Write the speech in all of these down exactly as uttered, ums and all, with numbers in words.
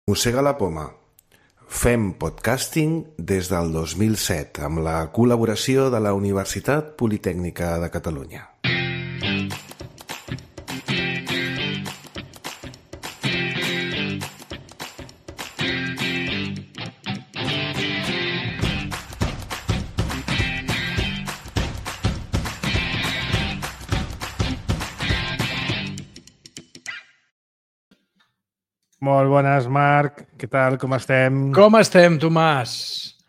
Mossega la poma. Fem podcasting des del dos mil set amb la col·laboració de la Universitat Politècnica de Catalunya. Molt bones, Marc. Què tal? Com estem? Com estem, Tomàs?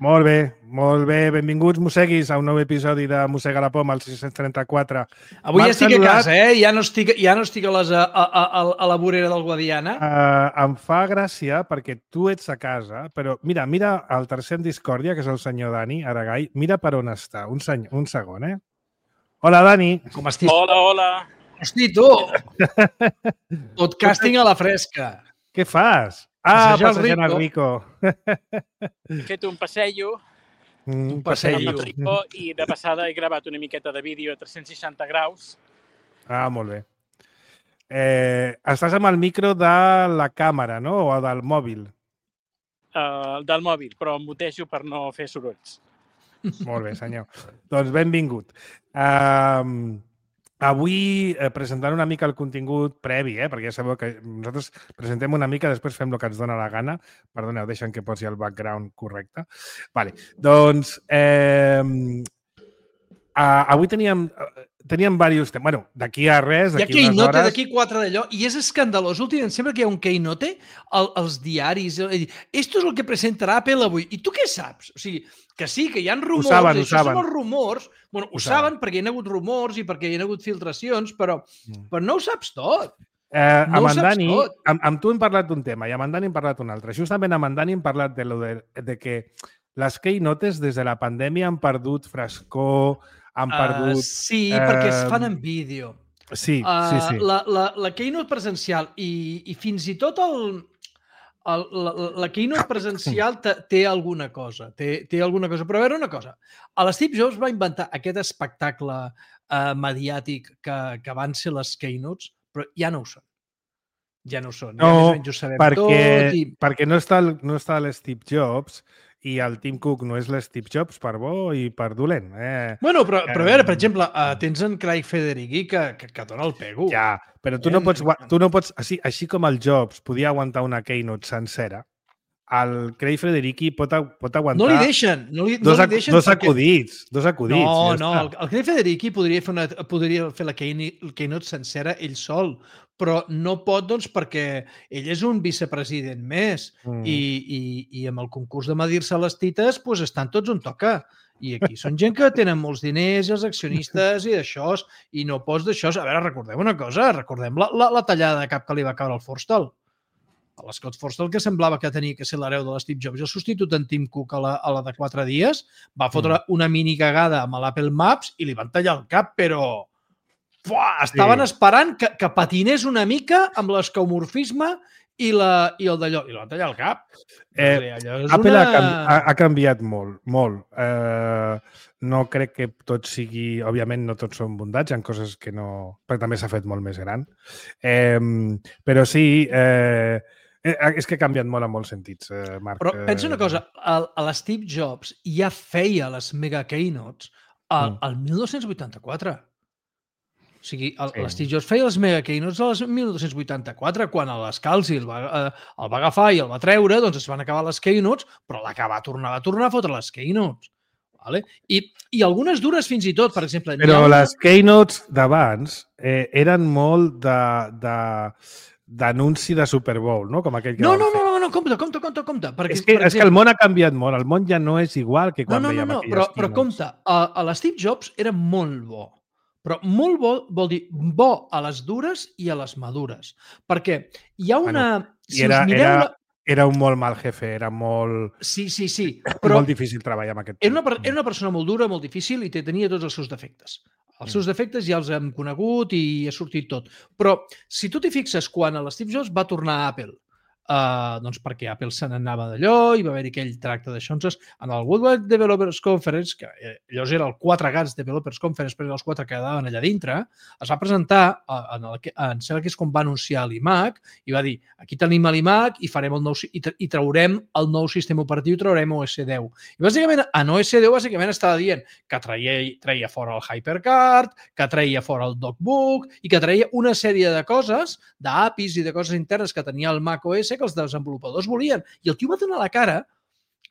Molt bé, molt bé. Benvinguts, mosseguis, a un nou episodi de Mossega la poma, el sis-cents trenta-quatre. Avui ja estic a casa, eh? Ja no estic, ja no estic a, les, a, a, a, a la vorera del Guadiana. Uh, em fa gràcia perquè tu ets a casa, però mira, mira el tercer en discòrdia, que és el senyor Dani Aragai. Mira per on està. Un, seny... un segon, eh? Hola, Dani. Com estàs? Hola, hola. Hosti, tu! Podcasting a la fresca. Què fas? Ah, Passejar el passejant el Rico. Rico. He fet un passejo Mm, Un passeig. amb passeig. el Rico i de passada he gravat una miqueta de vídeo a tres-cents seixanta graus. Ah, molt bé. Eh, estàs amb el micro de la càmera, no? O del mòbil? Uh, del mòbil, però em mutejo per no fer sorolls. Molt bé, senyor. Doncs benvingut. Um, avui eh, presentant una mica el contingut previ, eh, perquè ja sabeu que nosaltres presentem una mica, després fem el que ens dona la gana. Perdoneu, deixen que posi el background correcte. Vale. Doncs eh, uh, avui teníem, teníem diversos temes. Bueno, d'aquí a res, Hi ha d'aquí unes keynote, hores... d'aquí quatre d'allò, i és escandalós. Últimament, sempre que hi ha un keynote, el, els diaris, el, esto és el que presentarà Apple avui. I tu què saps? O sigui, que sí, que hi ha rumors, saben, ho això saben. són els rumors, bueno, ho, Ho saben perquè hi ha hagut rumors i perquè hi ha hagut filtracions, però, Mm. però no ho saps tot. Eh, No amb ho en saps Dani, tot. amb, amb tu hem parlat d'un tema i amb en Dani hem parlat d'un altre. Justament amb en Dani hem parlat de, lo de, de que les keynotes des de la pandèmia han perdut frescor, han perdut... Uh, sí, eh, perquè es fan en vídeo. Sí, Uh, sí, sí. La, la, la keynote presencial i, i fins i tot el, el, la, la keynote presencial te, té alguna cosa. Té, té alguna cosa. Però a veure una cosa. A l'Steve Jobs va inventar aquest espectacle uh, mediàtic que, que van ser les keynotes, però ja no ho són. Ja no ho són. Ja No, més o menys ho sabem perquè, tot. I... perquè no està, el, no està l'Steve Jobs i el Tim Cook no és l'Steve Jobs per bo i per dolent. Eh? Bueno, però, però a Eh, veure, per exemple, uh, tens en Craig Federighi que, que, que dona el pego. Ja, però tu no pots, gua- tu no pots així, així com el Jobs podia aguantar una keynote sencera, el Craig Federighi pot, a- pot aguantar No li deixen. No li, dos, no li acu- deixen dos perquè- acudits. Dos acudits. No, ja no, està. el, el Craig Federighi podria fer, una, podria fer la keynote, el keynote sencera ell sol, però no pot, doncs, perquè ell és un vicepresident més Mm. i, i, i amb el concurs de medir-se les tites doncs estan tots on toca. I aquí són gent que tenen molts diners, els accionistes i d'això, i no pots d'això. A veure, recordem una cosa, recordem la, la, la tallada de cap que li va caure al Forstall. A l'Scott Forstall, que semblava que tenia que ser l'hereu de l'Steve Jobs, el substitut en Tim Cook a la, a la de quatre dies, va fotre Mm. una mini cagada amb l'Apple Maps i li van tallar el cap, però fuà, estaven Sí. esperant que, que patinés una mica amb l'escaumorfisme i, la, i el d'allò. I li van tallar el cap. Eh, O sigui, allò és Apple una... ha, canvi, ha, ha canviat molt, molt. Eh, no crec que tot sigui... Òbviament, no tots són bondats, hi ha coses que no... Perquè també s'ha fet molt més gran. Eh, però sí, eh, eh, és que ha canviat molt en molts sentits, eh, Marc. Però pensa una cosa, el, a l'Steve Jobs ja feia les mega keynotes al, Mm. al dinou vuitanta-quatre. O sigui, el, Sí. l'Steve Jobs feia les mega keynotes al dinou vuitanta-quatre, quan l'Scalzi el, va, eh, el va agafar i el va treure, doncs es van acabar les keynotes, però l'acabar tornar a tornar a fotre les keynotes. Vale? I, I algunes dures fins i tot, per exemple... n'hi ha Però una- les keynotes d'abans eh, eren molt de, de, d'anunci de Super Bowl, no? Com aquell que No, van no, fer. no, no, no, compte, compte, compte, compte. Perquè, És que, per és que el món ha canviat molt. El món ja no és igual que No, quan no, no, veiem no, aquelles però, però keynotes. compte, a, a l'Steve Jobs era molt bo. Però molt bo vol dir bo a les dures i a les madures. Perquè hi ha una... I era, us mireu era, la... era un molt mal jefe, era molt, Sí, sí, sí, però... però molt difícil treballar amb aquest era una, tio. per- era una persona molt dura, molt difícil i te- tenia tots els seus defectes. Els seus defectes ja els hem conegut i ha sortit tot. Però si tu t'hi fixes, quan l'Steve Jobs va tornar a Apple, Uh, doncs perquè Apple se n'anava d'allò i va haver-hi aquell tracte d'això. Entonces, en el Worldwide Developers Conference, que llavors era el quatre gats Developers Conference, però eren els quatre que quedaven allà dintre, es va presentar, en, el, en sembla que és com va anunciar l'iMac, i va dir, aquí tenim l'iMac i farem el nou i, tra i traurem el nou sistema operatiu, traurem O S deu. I bàsicament, en O S deu bàsicament estava dient que traia, traia fora el HyperCard, que traia fora el DocBook i que traia una sèrie de coses, d'A P Is i de coses internes que tenia el Mac O S que els desenvolupadors volien. I el tio va donar la cara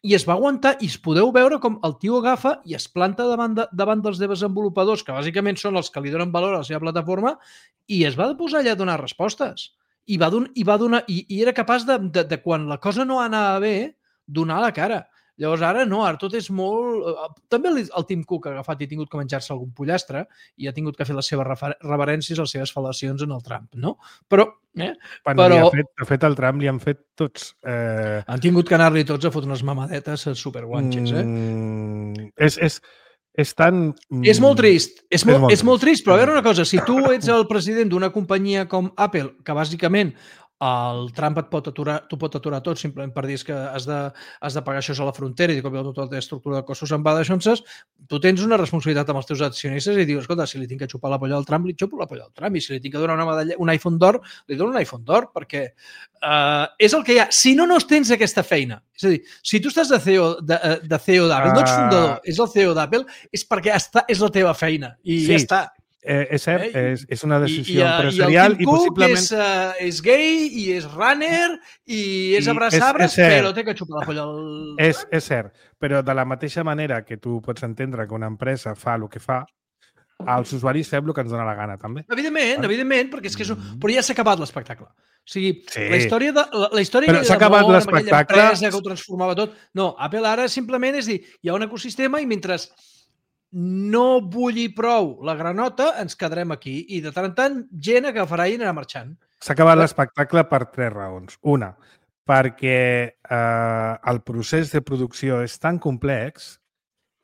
i es va aguantar i es podeu veure com el tio agafa i es planta davant, de, davant dels desenvolupadors, que bàsicament són els que li donen valor a la seva plataforma, i es va posar allà a donar respostes. I, va don, i, va donar, i, i era capaç de, de, de, quan la cosa no anava bé, donar la cara. Llavors ara no, ara tot és molt... També el Tim Cook ha agafat i ha tingut que menjar-se algun pollastre i ha tingut que fer les seves reverències, les seves fal·lacions en el Trump, no? Però... Eh? Bueno, però... ha fet, ha fet el Trump, li han fet tots... Eh... Han tingut que anar-li tots a fotre unes mamadetes superguanxes, eh? Mm, és, és, és tan... És molt trist, és molt, és molt, és molt trist, però a veure una cosa, si tu ets el president d'una companyia com Apple, que bàsicament el Trump et pot aturar, tu pot aturar tot simplement per dir que has de, has de pagar això a la frontera i de cop i tota la teva estructura de costos se'n va d'aixonses, tu tens una responsabilitat amb els teus accionistes i dius, escolta, si li tinc que xupar la polla al Trump, li xupo la polla al Trump, i si li tinc que donar una medalla, un iPhone d'or, li dono un iPhone d'or, perquè uh, és el que hi ha. Si no, no tens aquesta feina. És a dir, si tu estàs de C E O de, de C E O d'Apple, uh... no ets fundador, és el C E O d'Apple, és perquè està, és la teva feina, i sí. ja està. Eh, és cert, eh? és, és una decisió I, i, empresarial i, i possiblement... És, uh, és gay i és runner i és abraçabres, però té que xupar la polla al... És, és cert, però de la mateixa manera que tu pots entendre que una empresa fa el que fa, els usuaris fem el que ens dona la gana, també. Evidentment, vale? evidentment, perquè és que és un... Però ja s'ha acabat l'espectacle. O sigui, sí. la història de la, la història però s'ha acabat l'espectacle. Empresa que ho transformava tot. No, Apple ara simplement és dir, hi ha un ecosistema i mentre no bulli prou la granota, ens quedarem aquí. I de tant en tant, gent agafarà i anirà marxant. S'ha acabat l'espectacle per tres raons. Una, perquè eh, el procés de producció és tan complex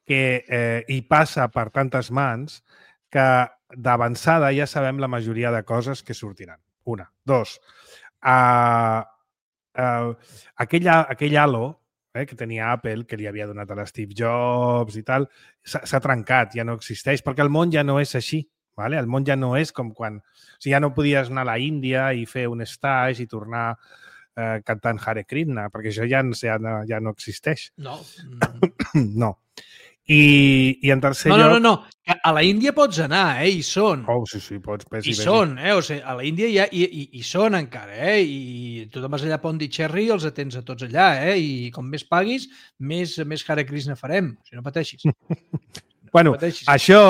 que eh, hi passa per tantes mans que d'avançada ja sabem la majoria de coses que sortiran. Una. Dos, eh, eh, aquell, aquell halo eh, que tenia Apple, que li havia donat a l'Steve Jobs i tal, s'ha trencat, ja no existeix, perquè el món ja no és així. Vale? El món ja no és com quan... O sigui, ja no podies anar a la Índia i fer un stage i tornar eh, cantant Hare Krishna, perquè això ja, ja, no, ja no existeix. No. No. I, i en tercer no, lloc... No, no, no. A la Índia pots anar, eh? Hi són. Oh, sí, sí, pots. Pes I, I són, eh? O sigui, a la Índia hi, ha, hi, hi, hi són encara, eh? I tu te'n vas allà a Pondicherry i els atens a tots allà, eh? I com més paguis, més, més Hare Krishna farem. O sigui, no pateixis. No bueno, pateixis. Això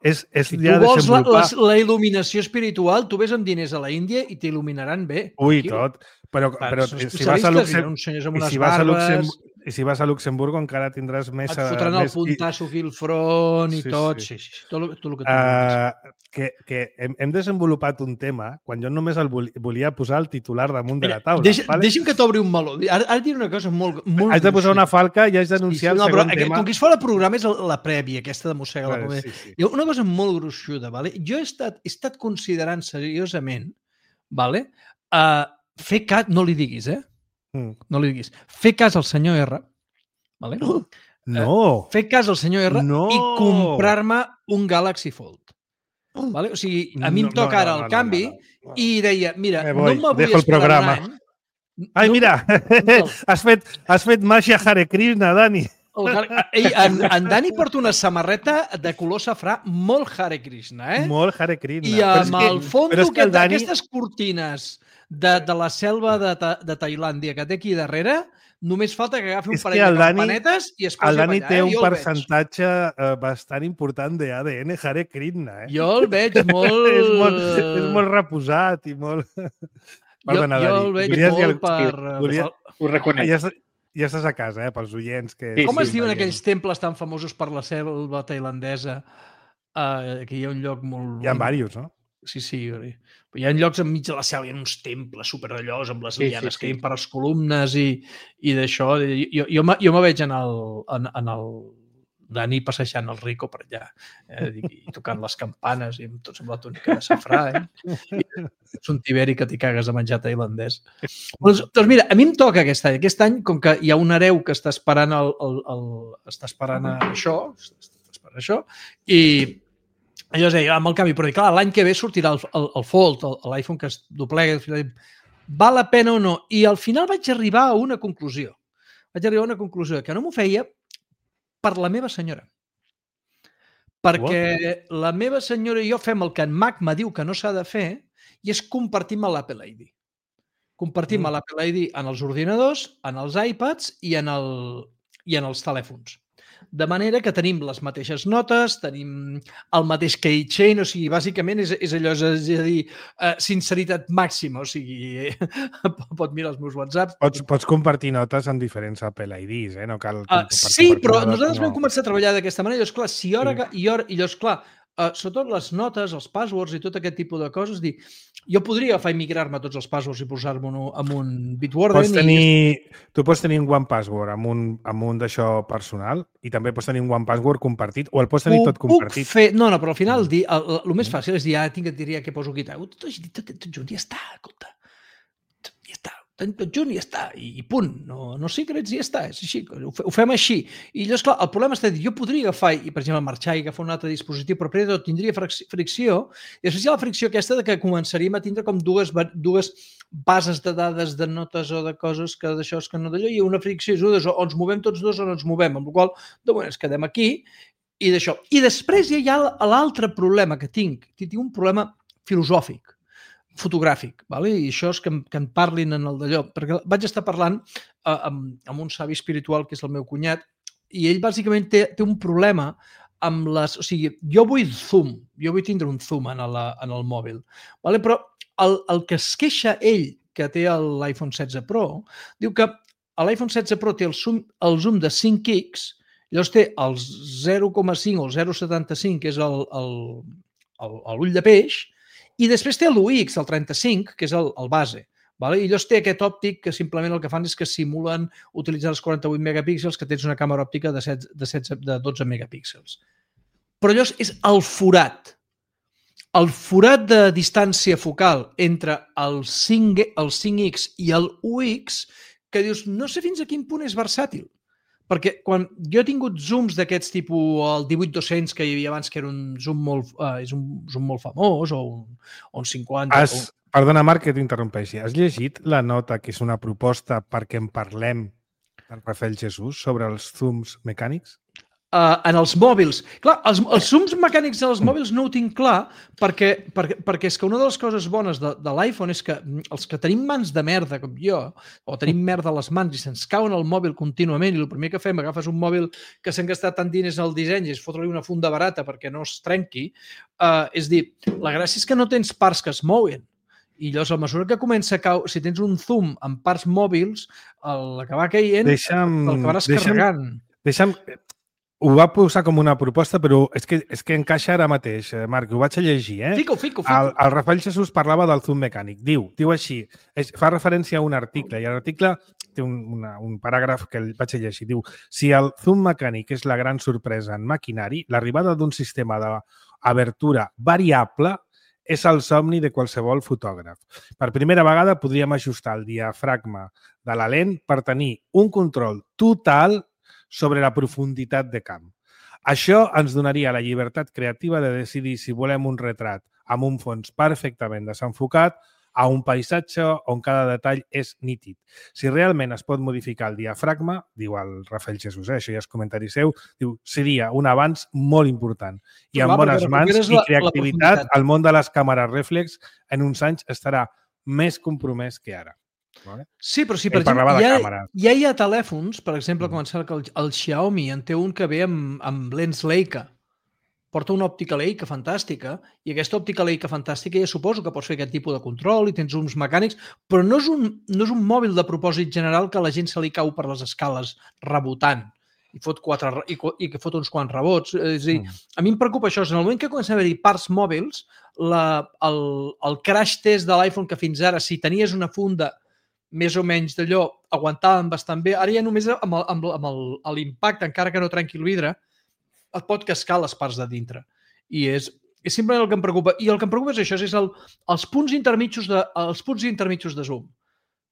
és, és si ja tu vols la, la, desenvolupar... la il·luminació espiritual, tu ves amb diners a la Índia i t'il·luminaran bé. Ui, aquí. tot. Però, però si si vas a Luxemburg... I si vas a Luxemburg... I si vas a Luxemburg encara tindràs més... Et fotran el més... puntasso aquí al front i sí, tot. Sí. Sí, sí, tot, tot el que tu uh, que, que hem, hem desenvolupat un tema quan jo només el volia posar el titular damunt de la taula. Deixa, vale? Deixa'm que t'obri un meló. Ara, ara diré una cosa molt... molt Haig de posar una falca i haig d'anunciar sí, sí, el no, segon però, tema. Com que es fa el programa és la prèvia, aquesta de mossegar la comèdia. Sí, sí. Hi ha una cosa molt gruixuda. Vale? Jo he estat, he estat considerant seriosament vale? uh, fer cas... No li diguis, eh? Mm. No li diguis. Fer cas al senyor R. Vale? No. Uh, fer cas al senyor R no. i comprar-me un Galaxy Fold. Vale? O sigui, a mi em toca no, no, ara el no, no, canvi no, no, no. i deia, mira, Me voy, no me vull esperar un any. Ai, no, mira, no. has, fet, has fet màgia Hare Krishna, Dani. Ei, en, en Dani porta una samarreta de color safrà molt Hare Krishna, eh? Molt Hare Krishna. I amb el fons d'aquestes Dani... cortines de, de la selva de, de Tailàndia que té aquí darrere, només falta que agafi un parell de campanetes i es posi el Dani a ballar. té eh? un percentatge uh, bastant important d'A D N Hare Krishna. Eh? Jo el veig molt... és, molt és molt reposat i molt... Perdona, jo, jo el veig Volies molt per... Volia... Ho reconec. Ja, ja estàs a casa, eh, pels oients. Que... Sí, Com sí, es diuen veient. aquells temples tan famosos per la selva tailandesa? Uh, que hi ha un lloc molt... Hi ha diversos, no? Sí, sí. Hi ha llocs enmig de la selva, hi ha uns temples superdallós amb les lianes sí, sí, sí. que hi per les columnes i, i d'això. Jo, jo, jo me veig en el, en, en el Dani passejant el Rico per allà, eh, i tocant les campanes i amb tots amb la túnica de safrà. Eh? És un tiberi que t'hi cagues de menjar tailandès. Doncs, doncs mira, a mi em toca aquest any. Aquest any, com que hi ha un hereu que està esperant, el, el, el, està esperant això, està esperant això, i allò és, amb el canvi, però clar, l'any que ve sortirà el, el, el Fold, l'iPhone que es doblega, val la pena o no? I al final vaig arribar a una conclusió. Vaig arribar a una conclusió que no m'ho feia per la meva senyora. Perquè What? La meva senyora i jo fem el que en Magma diu que no s'ha de fer i és compartim l'Apple I D. Compartim mm. l'Apple I D en els ordinadors, en els iPads i en, el, i en els telèfons. De manera que tenim les mateixes notes, tenim el mateix keychain, o sigui, bàsicament és, és allò, és a dir, uh, sinceritat màxima, o sigui, pot mirar els meus whatsapps. Pots, pots compartir notes amb diferents Apple I Ds, eh? No cal uh, sí, però nosaltres no. vam començar a treballar d'aquesta manera, i llavors, clar, si hora, sí. i hora, i llavors, clar, uh, sobretot les notes, els passwords i tot aquest tipus de coses, dir, jo podria agafar i migrar-me tots els passwords i posar-me en un Bitwarden. Pots tenir, i... Tu pots tenir un One Password amb un, amb un d'això personal i també pots tenir un One Password compartit o el pots tenir ho tot compartit. Fer... No, no, però al final el, el, el, el més fàcil és dir, ah, tinc que diria que poso aquí. Tot, tot, tot, tot junt, ja està, escolta. Ja està. Tot junt i ja està, i punt. No, no secrets i ja està, és així, ho fem així. I llavors, clar, el problema és que jo podria agafar, i per exemple, marxar i agafar un altre dispositiu, però primer de tot tindria fricció, i després hi ha la fricció aquesta de que començaríem a tindre com dues, dues bases de dades de notes o de coses que d'això és que no d'allò, i una fricció és o ens movem tots dos o no ens movem, amb la qual cosa, de moment, ens quedem aquí, i d'això. I després hi ha l'altre problema que tinc, tinc un problema filosòfic, fotogràfic, vale? I això és que, que en parlin en el d'allò, perquè vaig estar parlant uh, amb, amb un savi espiritual que és el meu cunyat i ell bàsicament té, té un problema amb les... O sigui, jo vull zoom, jo vull tindre un zoom en, la, en el mòbil, vale? Però el, el que es queixa ell, que té l'iPhone setze Pro, diu que l'iPhone setze Pro té el zoom, el zoom de cinc ics, llavors té el zero coma cinc o el zero coma setanta-cinc, que és l'ull de peix, i després té l'u ics, el trenta-cinc, que és el, el base. Vale? I llavors té aquest òptic que simplement el que fan és que simulen utilitzar els quaranta-vuit megapíxels que tens una càmera òptica de, set, de, set, de dotze megapíxels. Però llavors és el forat. El forat de distància focal entre el cinc, el cinc ics i el u ics que dius, no sé fins a quin punt és versàtil. Perquè quan jo he tingut zooms d'aquests tipus, el divuit dos-cents que hi havia abans, que era un zoom molt, uh, és un zoom molt famós, o un, o un cinquanta... Has, o... Perdona, Marc, que t'interrompeixi. Has llegit la nota que és una proposta perquè en parlem del Rafael Jesús sobre els zooms mecànics? Uh, en els mòbils. Clar, els, els zooms mecànics dels mòbils no ho tinc clar perquè, perquè, perquè és que una de les coses bones de, de l'iPhone és que els que tenim mans de merda, com jo, o tenim merda a les mans i se'ns cauen el mòbil contínuament i el primer que fem, agafes un mòbil que s'han gastat tant diners al disseny i és fotre-li una funda barata perquè no es trenqui, uh, és dir, la gràcia és que no tens parts que es mouen. I llavors, a mesura que comença a caure, si tens un zoom amb parts mòbils, l'acabar caient, deixa'm, l'acabaràs carregant. Deixa'm... Ho va posar com una proposta, però és que, és que encaixa ara mateix, Marc, ho vaig a llegir. Eh? Fico, fico, fico. El, el Rafael Jesús parlava del zoom mecànic. Diu, diu així, és, fa referència a un article, i l'article té un, una, un paràgraf que el vaig a llegir. Diu, si el zoom mecànic és la gran sorpresa en maquinari, l'arribada d'un sistema d'abertura variable és el somni de qualsevol fotògraf. Per primera vegada podríem ajustar el diafragma de la lent per tenir un control total sobre la profunditat de camp. Això ens donaria la llibertat creativa de decidir si volem un retrat amb un fons perfectament desenfocat a un paisatge on cada detall és nítid. Si realment es pot modificar el diafragma, diu el Rafael Jesús, eh? Això ja és comentari seu, diu, seria un avanç molt important. I amb bones mans i creativitat, el món de les càmeres reflex en uns anys estarà més compromès que ara. Vale? Sí, però si per exemple hi ha, ja hi ha telèfons, per exemple, com el, el Xiaomi en té un que ve amb, amb lents Leica, porta una òptica Leica fantàstica i aquesta òptica Leica fantàstica ja suposo que pots fer aquest tipus de control i tens zooms mecànics, però no és un, no és un mòbil de propòsit general que la gent se li cau per les escales rebotant i fot, quatre, i, i que fot uns quants rebots. És a dir, mm. a mi em preocupa això. En el moment que comença a haver-hi parts mòbils, la, el, el crash test de l'iPhone que fins ara, si tenies una funda més o menys d'allò, aguantaven bastant bé. Ara ja només amb l'impacte, encara que no trenqui el vidre, et pot cascar les parts de dintre. I és, és sempre el que em preocupa. I el que em preocupa és això, és el, els, punts intermitjos de, els punts intermitjos de zoom.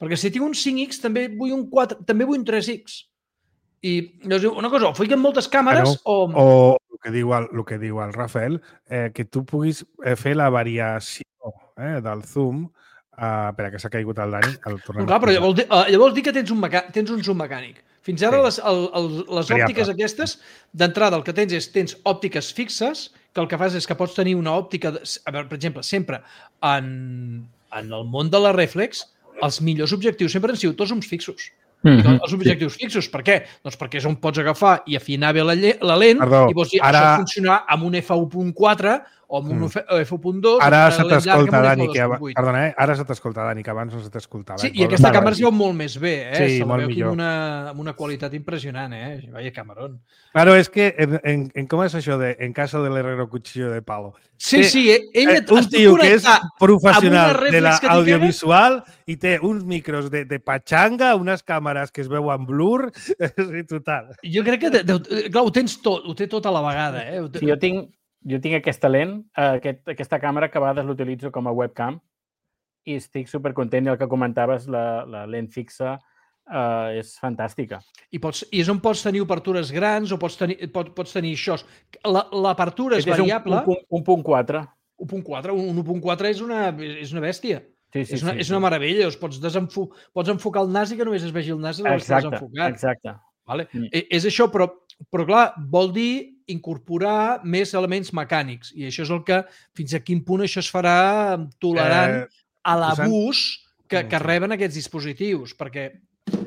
Perquè si tinc un cinc ics també vull un quatre, també vull un tres ics. I llavors, una cosa, o fiquen moltes càmeres Bueno, o... O el que diu el, el, que diu el Rafael, eh, que tu puguis eh, fer la variació eh, del zoom. Uh, espera, que s'ha caigut el Dani. El No, clar, però llavors, dir, uh, llavors dir que tens un, meca... tens un zoom mecànic. Fins ara sí. les, el, el, les òptiques aquestes, d'entrada el que tens és tens òptiques fixes, que el que fas és que pots tenir una òptica, de, a veure, per exemple, sempre en, en el món de la reflex, els millors objectius sempre han sigut tots uns fixos. Mm-hmm. Els objectius sí. fixos, per què? Doncs perquè és on pots agafar i afinar bé la, la lent Perdó, i pots dir, ara... això funcionarà amb un efa u punt quatre o amb un mm. efa u punt dos. Ara se t'escolta, Dani, que ab... Perdona, eh? Ara se t'escolta, Dani, que abans no se t'escoltava. Sí, i aquesta càmera es veu molt més bé, eh? Sí, se molt millor. Amb una, amb una qualitat impressionant, eh? Vaya camarón. Claro, és que en, en, en com és això de en casa del herrero cuchillo de palo? Sí, que, sí, ella eh, un tio que és professional de l'audiovisual i té uns micros de, de patxanga, unes càmeres que es veuen blur, sí, total. Jo crec que, de, de, clar, ho tens tot, ho té tot a la vegada, eh? Sí, jo tinc, jo tinc aquesta lent, aquest, aquesta càmera que a vegades l'utilitzo com a webcam i estic supercontent i el que comentaves, la, la lent fixa, Uh, és fantàstica. I, pots, I és on pots tenir obertures grans o pots tenir, pot, pots tenir això. L'apertura és variable. Un, un, un punt quatre. un punt quatre. Un un punt quatre és una, és una bèstia. Sí, sí, és, una, sí, és una meravella. Pots, desenfo, pots enfocar el nas i que només es vegi el nas de desenfocat. Exacte. Vale? Mm. És això, però, però clar, vol dir incorporar més elements mecànics. I això és el que, fins a quin punt això es farà tolerant eh, a l'abús que, que reben aquests dispositius. Perquè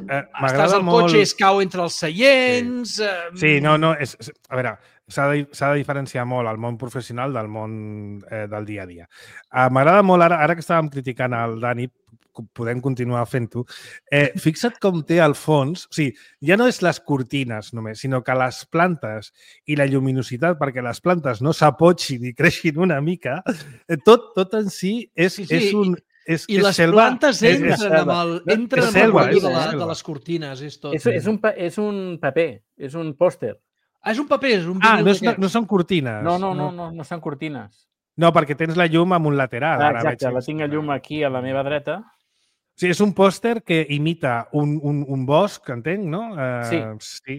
Eh, estàs al molt... cotxe i es cau entre els seients... Sí, eh... sí no, no, és, és, a veure, s'ha de, s'ha de diferenciar molt el món professional del món eh, del dia a dia. Uh, M'agrada molt, ara, ara que estàvem criticant el Dani, podem continuar fent-ho, eh, fixa't com té al fons, o sigui, ja no és les cortines només, sinó que les plantes i la lluminositat, perquè les plantes no s'apotxin i creixin una mica, eh, tot, tot en si és, sí, sí. és un... És, I és les selva, plantes entren és, és amb el, entren amb selva, el de, la, de les cortines. És, tot. És, és, un, és un paper, és un pòster. Ah, és un paper, és un Ah, no, és, no, no són cortines. No, no, no, no, no són cortines. No, perquè tens la llum amb un lateral. Ah, exacte, la tinc la llum aquí a la meva dreta. Sí, és un pòster que imita un, un, un bosc, entenc, no? Uh, sí. sí.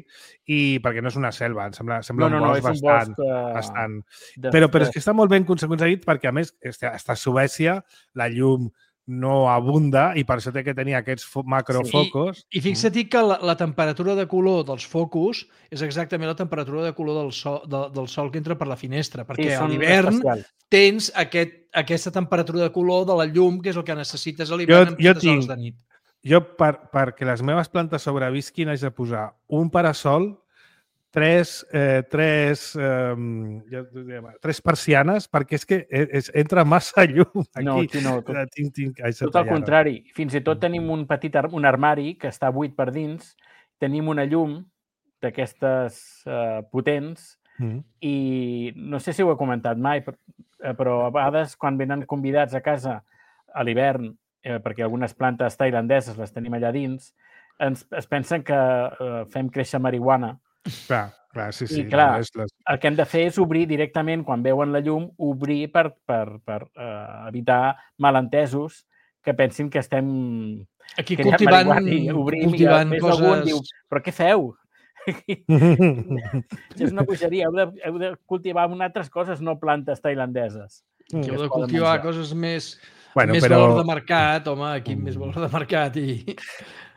I perquè no és una selva, em sembla, sembla no, no, un bosc no, bastant... Un bosc, uh, bastant. De, però, però de... és que està molt ben aconseguit perquè, a més, està a Suècia, la llum no abunda i per això té que tenir aquests macrofocos. Sí. I, i fixa't que la, la temperatura de color dels focus és exactament la temperatura de color del sol, de, del sol que entra per la finestra, perquè sí, a l'hivern tens aquest, aquesta temperatura de color de la llum, que és el que necessites a l'hivern en aquestes hores de nit. Jo, per, perquè les meves plantes sobrevisquin, haig de posar un parasol, tres, eh, tres, eh, ja, tres persianes, perquè és que és, entra massa llum aquí. No, aquí no. Tot, tinc, tinc, tot al contrari. Fins i tot tenim un petit ar un armari que està buit per dins, tenim una llum d'aquestes eh, potents mm. i no sé si ho he comentat mai, però a vegades quan venen convidats a casa a l'hivern, eh, perquè algunes plantes tailandeses les tenim allà dins, ens, es pensen que eh, fem créixer marihuana. Clar, clar, sí, sí. I clar, no les... el que hem de fer és obrir directament, quan veuen la llum, obrir per, per, per uh, evitar malentesos que pensin que estem aquí cultivant, obrim, cultivant i coses... Diu, però què feu? És una bogeria, heu de, heu de cultivar altres coses, no plantes tailandeses. Mm. Heu de cultivar menjar. Coses més, bueno, més però... valor de mercat, home, aquí mm. més valor de mercat. I...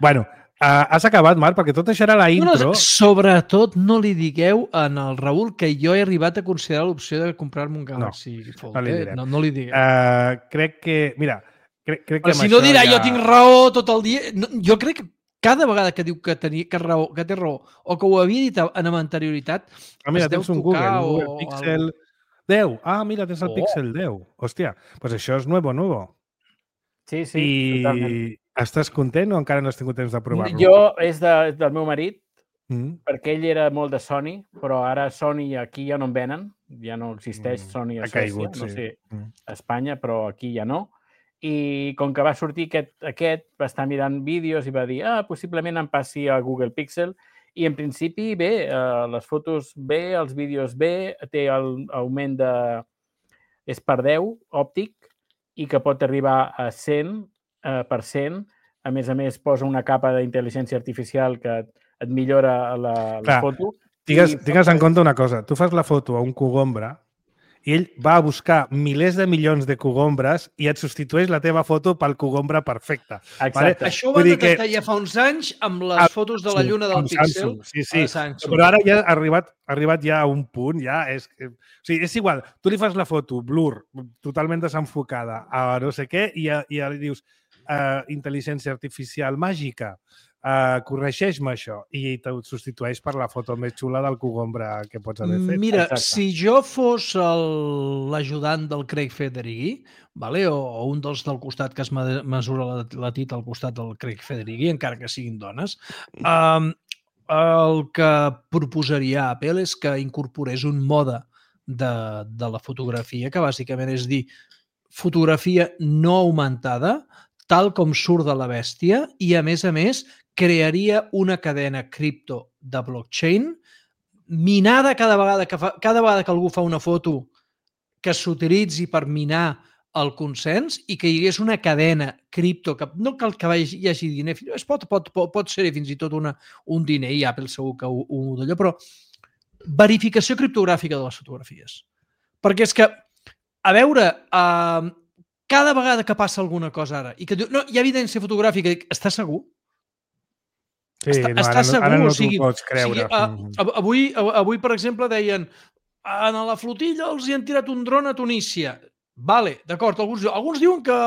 Bueno, Uh, has acabat, Marc, perquè tot això era la intro. No, no, sobretot no li digueu en el Raül que jo he arribat a considerar l'opció de comprar-me un Galaxy no, Fold. No, li eh? no, no li digueu. Uh, crec que... Mira, crec, crec que... Però si no dirà ja... jo tinc raó tot el dia... No, jo crec que cada vegada que diu que, tenia, que, raó, que té raó o que ho havia dit en anterioritat... Ah, mira, tens un Google, un Google Pixel o... deu. Ah, mira, tens el oh. Pixel deu. Hòstia, pues això és nuevo, nuevo. Sí, sí, I... totalment. Estàs content o encara no has tingut temps de provar-lo? Jo és de, del meu marit, mm. perquè ell era molt de Sony, però ara Sony aquí ja no en venen, ja no existeix Sony a Suècia, caigut, no sí. sé, mm. a Espanya, però aquí ja no. I com que va sortir aquest, aquest, va estar mirant vídeos i va dir, ah, possiblement em passi a Google Pixel, I en principi, bé, eh, les fotos bé, els vídeos bé, té l'augment de... és per deu, òptic, i que pot arribar a cent per cent. A més a més, posa una capa d'intel·ligència artificial que et, et millora la, la Clar, foto. Digues, I... digues en compte una cosa. Tu fas la foto a un cogombra i ell va a buscar milers de milions de cogombres i et substitueix la teva foto pel cogombra perfecte. Exacte. Vale? Això ho van detectar que... ja fa uns anys amb les fotos de la lluna del Pixel. Sí, sí. Però ara ja ha arribat, ha arribat ja a un punt, ja és... O sigui, és igual, tu li fas la foto, blur, totalment desenfocada, a no sé què, i ja, ja li dius uh, intel·ligència artificial màgica, Uh, corregeix-me això, i te substitueix per la foto més xula del cogombra que pots haver fet. Mira, Exacte. si jo fos l'ajudant del Craig Federighi, vale? o, o un dels del costat que es mesura la, la tita al costat del Craig Federighi, encara que siguin dones, um, el que proposaria Apple és que incorporés un mode de, de la fotografia, que bàsicament és dir, fotografia no augmentada, tal com surt de la bèstia, i a més a més crearia una cadena cripto de blockchain minada cada vegada que, fa, cada vegada que algú fa una foto que s'utilitzi per minar el consens i que hi hagués una cadena cripto, que no cal que hi hagi diner, es pot, pot, pot, pot ser fins i tot una, un diner, i Apple segur que ho, ho d'allò, però verificació criptogràfica de les fotografies. Perquè és que, a veure, eh, cada vegada que passa alguna cosa ara i que diu, no, hi ha evidència fotogràfica, està segur? Sí, està, no, està ara, segur, ara no o sigui, t'ho pots creure. O sigui, uh, avui, avui, per exemple, deien en la flotilla els hi han tirat un dron a Tunísia. Vale, d'acord, alguns, alguns diuen que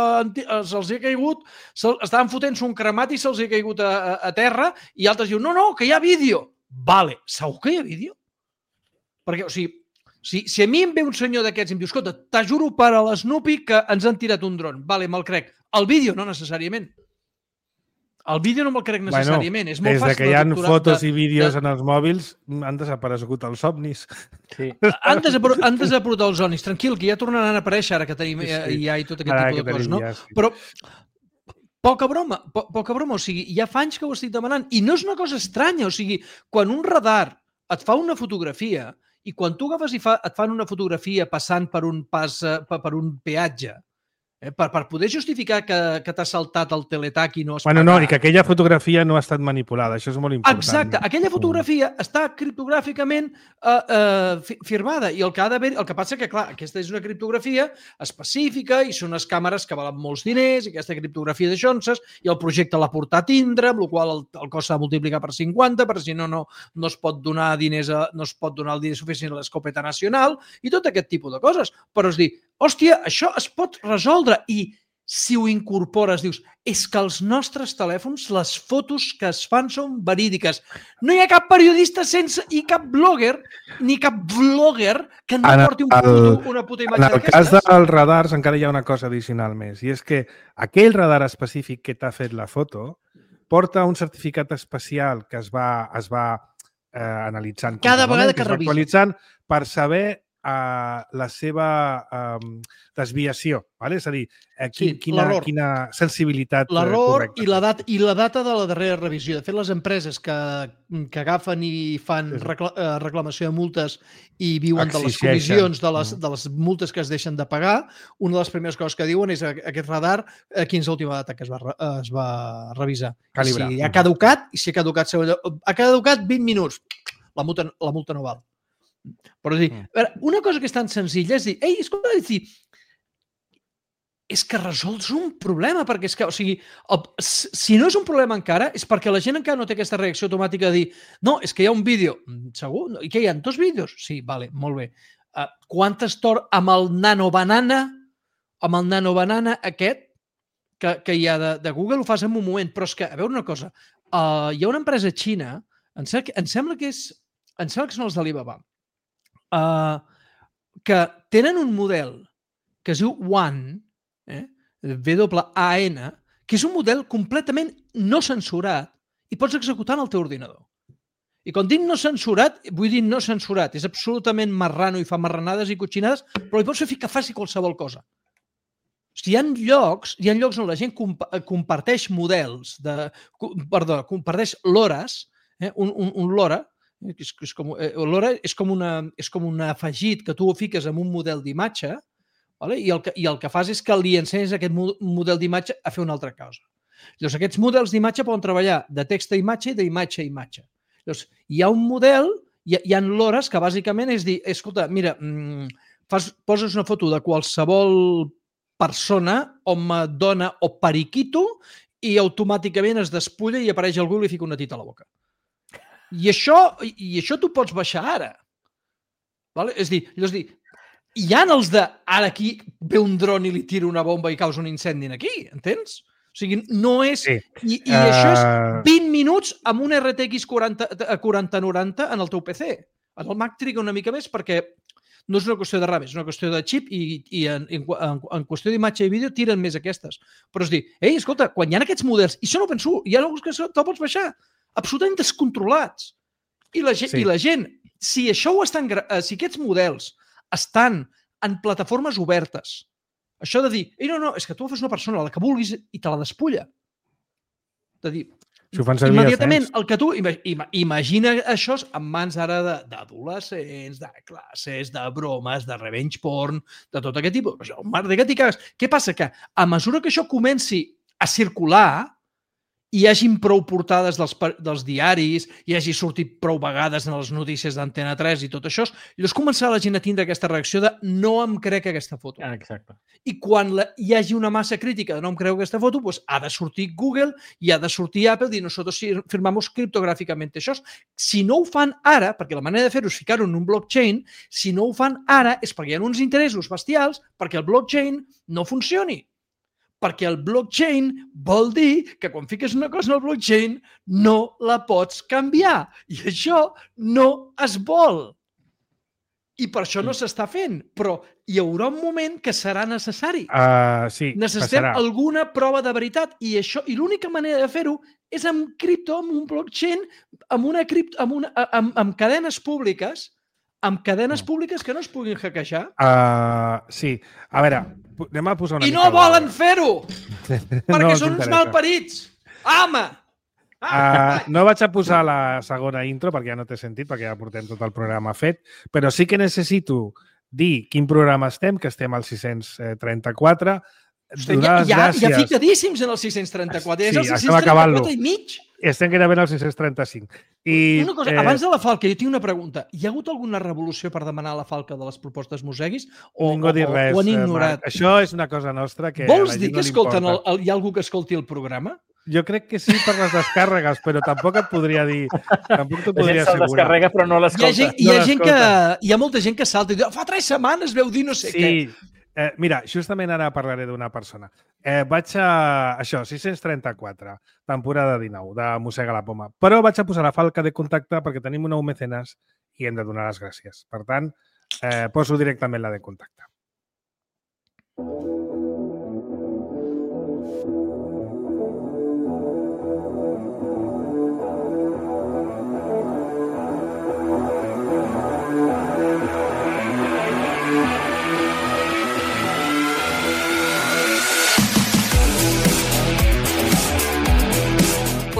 se'ls hi ha caigut, se, estaven fotent-se un cremat i se'ls hi ha caigut a, a, a terra, i altres diuen, no, no, que hi ha vídeo. Vale, segur que hi ha vídeo? Perquè, o sigui, si, si a mi em ve un senyor d'aquests i em diu, escolta, t'ajuro per a l'Snoopy que ens han tirat un dron. Vale, me'l crec. El vídeo no necessàriament. El vídeo no me'l crec necessàriament. Bueno, és molt des de que hi ha de fotos de, i vídeos de... en els mòbils, han desaparegut els somnis. Sí. Han desaparegut els somnis. Tranquil, que ja tornaran a aparèixer ara que tenim sí, sí. I A i tot aquest ara tipus de coses, no? Ja, sí. Però poca broma, po poca broma. O sigui, ja fa anys que ho estic demanant. I no és una cosa estranya. O sigui, quan un radar et fa una fotografia i quan tu agafes i fa, et fan una fotografia passant per un, pas, per un peatge, Eh, per, per poder justificar que, que t'ha saltat el teletac i no has bueno, pagat. No, i que aquella fotografia no ha estat manipulada, això és molt important. Exacte, aquella fotografia mm. està criptogràficament uh, uh, firmada i el que ha d'haver, el que passa que, clar, aquesta és una criptografia específica i són unes càmeres que valen molts diners i aquesta criptografia de Johnson i el projecte l'ha portat a tindre, amb la qual el, el cost s'ha de multiplicar per cinquanta, perquè si no, no, no es pot donar diners a, no es pot donar el diner suficient a l'escopeta nacional i tot aquest tipus de coses. Però es dir, hòstia, això es pot resoldre i si ho incorpores, dius, és que els nostres telèfons, les fotos que es fan són verídiques. No hi ha cap periodista sense i cap blogger, ni cap vlogger que no en porti un el, puto, una puta imatge d'aquestes. En el cas dels radars encara hi ha una cosa addicional més, i és que aquell radar específic que t'ha fet la foto porta un certificat especial que es va, es va eh, analitzant. Cada vegada que, que revisa. Actualitzant per saber Uh, la seva um, desviació, vale? És a dir, uh, quin, sí, quina, quina sensibilitat uh, correcta. I la, data, I la data de la darrera revisió. De fet, les empreses que, que agafen i fan sí. recla, uh, reclamació de multes i viuen de les comissions de les, de les multes que es deixen de pagar, una de les primeres coses que diuen és aquest radar, uh, quina és l'última data que es va, uh, es va revisar. Calibrar. Si ha caducat, i si ha caducat, ha caducat vint minuts, la multa, la multa no val. Però és dir, una cosa que és tan senzilla és dir, ei, escolta, és dir, és que resols un problema, perquè és que, o sigui, el, si no és un problema encara, és perquè la gent encara no té aquesta reacció automàtica de dir, no, és que hi ha un vídeo, segur? I què hi ha? Dos vídeos? Sí, vale, molt bé. Uh, quantes tor amb el nanobanana, amb el nanobanana aquest, que, que hi ha de, de Google, ho fas en un moment, però és que, a veure una cosa, uh, hi ha una empresa xina, em sembla, em sembla que és, em sembla que són els d'Alibaba, Uh, que tenen un model que es diu WAN, eh? W A N, que és un model completament no censurat i pots executar en el teu ordinador. I quan dic no censurat, vull dir no censurat, és absolutament marrano i fa marranades i cotxinades, però li pots fer que faci qualsevol cosa. O sigui, hi ha llocs, hi ha llocs on la gent comp comparteix models, de, perdó, comparteix l'hores eh? un, un, un LoRa, és, és com, eh, LoRa és com, una, és com un afegit que tu ho fiques en un model d'imatge, vale? I, el que, i el que fas és que li ensenyes aquest model d'imatge a fer una altra cosa. Llavors, aquests models d'imatge poden treballar de text a imatge i d'imatge a imatge. Llavors, hi ha un model, hi ha, hi ha LoRa's que bàsicament és dir, escolta, mira, fas, poses una foto de qualsevol persona, home, dona o periquito, i automàticament es despulla i apareix al Google i fica una tita a la boca. I això, i això tu pots baixar ara. Vale? És dir, és dir, hi ha els de ara aquí ve un dron i li tira una bomba i causa un incendi aquí, entens? O sigui, no és... Sí. I, i uh... això és vint minuts amb un R T X quaranta noranta en el teu P C. En el Mac triga una mica més perquè no és una qüestió de RAM, és una qüestió de xip i, i en, en, en qüestió d'imatge i vídeo tiren més aquestes. Però és dir, ei, escolta, quan hi ha aquests models, i això no ho penso, hi ha alguns que te'l pots baixar, absolutament descontrolats. I la gent, sí. i la gent si això ho estan, si aquests models estan en plataformes obertes, això de dir, ei, no, no, és que tu fas una persona, la que vulguis, i te la despulla. De dir, si ho fan servir immediatament, el que tu... Imagina això en mans ara d'adolescents, de classes, de bromes, de revenge porn, de tot aquest tipus. Això, un mar de gat i cagues. Què passa? Que a mesura que això comenci a circular, hi hagin prou portades dels, dels diaris, hi hagi sortit prou vegades en les notícies d'Antena tres i tot això, llavors començarà la gent a tindre aquesta reacció de no em crec aquesta foto. Exacte. I quan la, hi hagi una massa crítica de no em creu aquesta foto, doncs ha de sortir Google i ha de sortir Apple i nosaltres firmamos criptogràficament això. Si no ho fan ara, perquè la manera de fer-ho és ficar-ho en un blockchain, si no ho fan ara és perquè hi ha uns interessos bestials perquè el blockchain no funcioni. Perquè el blockchain vol dir que quan fiques una cosa en el blockchain no la pots canviar. I això no es vol. I per això no s'està fent. Però hi haurà un moment que serà necessari. Uh, sí, Necessitem passarà. alguna prova de veritat. I, això, i l'única manera de fer-ho és amb cripto, amb un blockchain, amb, una cripto, amb, una, amb, amb cadenes públiques, amb cadenes públiques que no es puguin hackejar. Uh, sí. A veure, anem a posar una I mica... no volen fer-ho! Perquè no són uns malparits! Home! Uh, no vaig a posar la segona intro perquè ja no té sentit, perquè ja portem tot el programa fet, però sí que necessito dir quin programa estem, que estem al sis-cents trenta-quatre. Hosti, ja, ja, ja ficadíssims en el sis-cents trenta-quatre. Sí, és el sis-cents trenta-quatre i mig. Estem gairebé al sis-cents trenta-cinc. I, una cosa, eh... abans de la falca, jo tinc una pregunta. Hi ha hagut alguna revolució per demanar la falca de les propostes Moseguis? O, ningú ha dit res, o han ignorat? Marc. Això és una cosa nostra que Vols a la dir gent que no escolten el, el, el, hi ha algú que escolti el programa? Jo crec que sí per les descàrregues, però tampoc et podria dir... Tampoc t'ho podria assegurar. La descarrega, però no l'escolta. Hi ha, gent, hi, ha no gent que, hi ha molta gent que salta i diu, fa tres setmanes veu dir no sé sí. què. Eh, mira, justament ara parlaré d'una persona. Eh, vaig a... Això, sis-cents trenta-quatre, temporada dinou, de Mossega la Poma. Però vaig a posar la falca de contacte perquè tenim un nou mecenes i hem de donar les gràcies. Per tant, eh, poso directament la de contacte.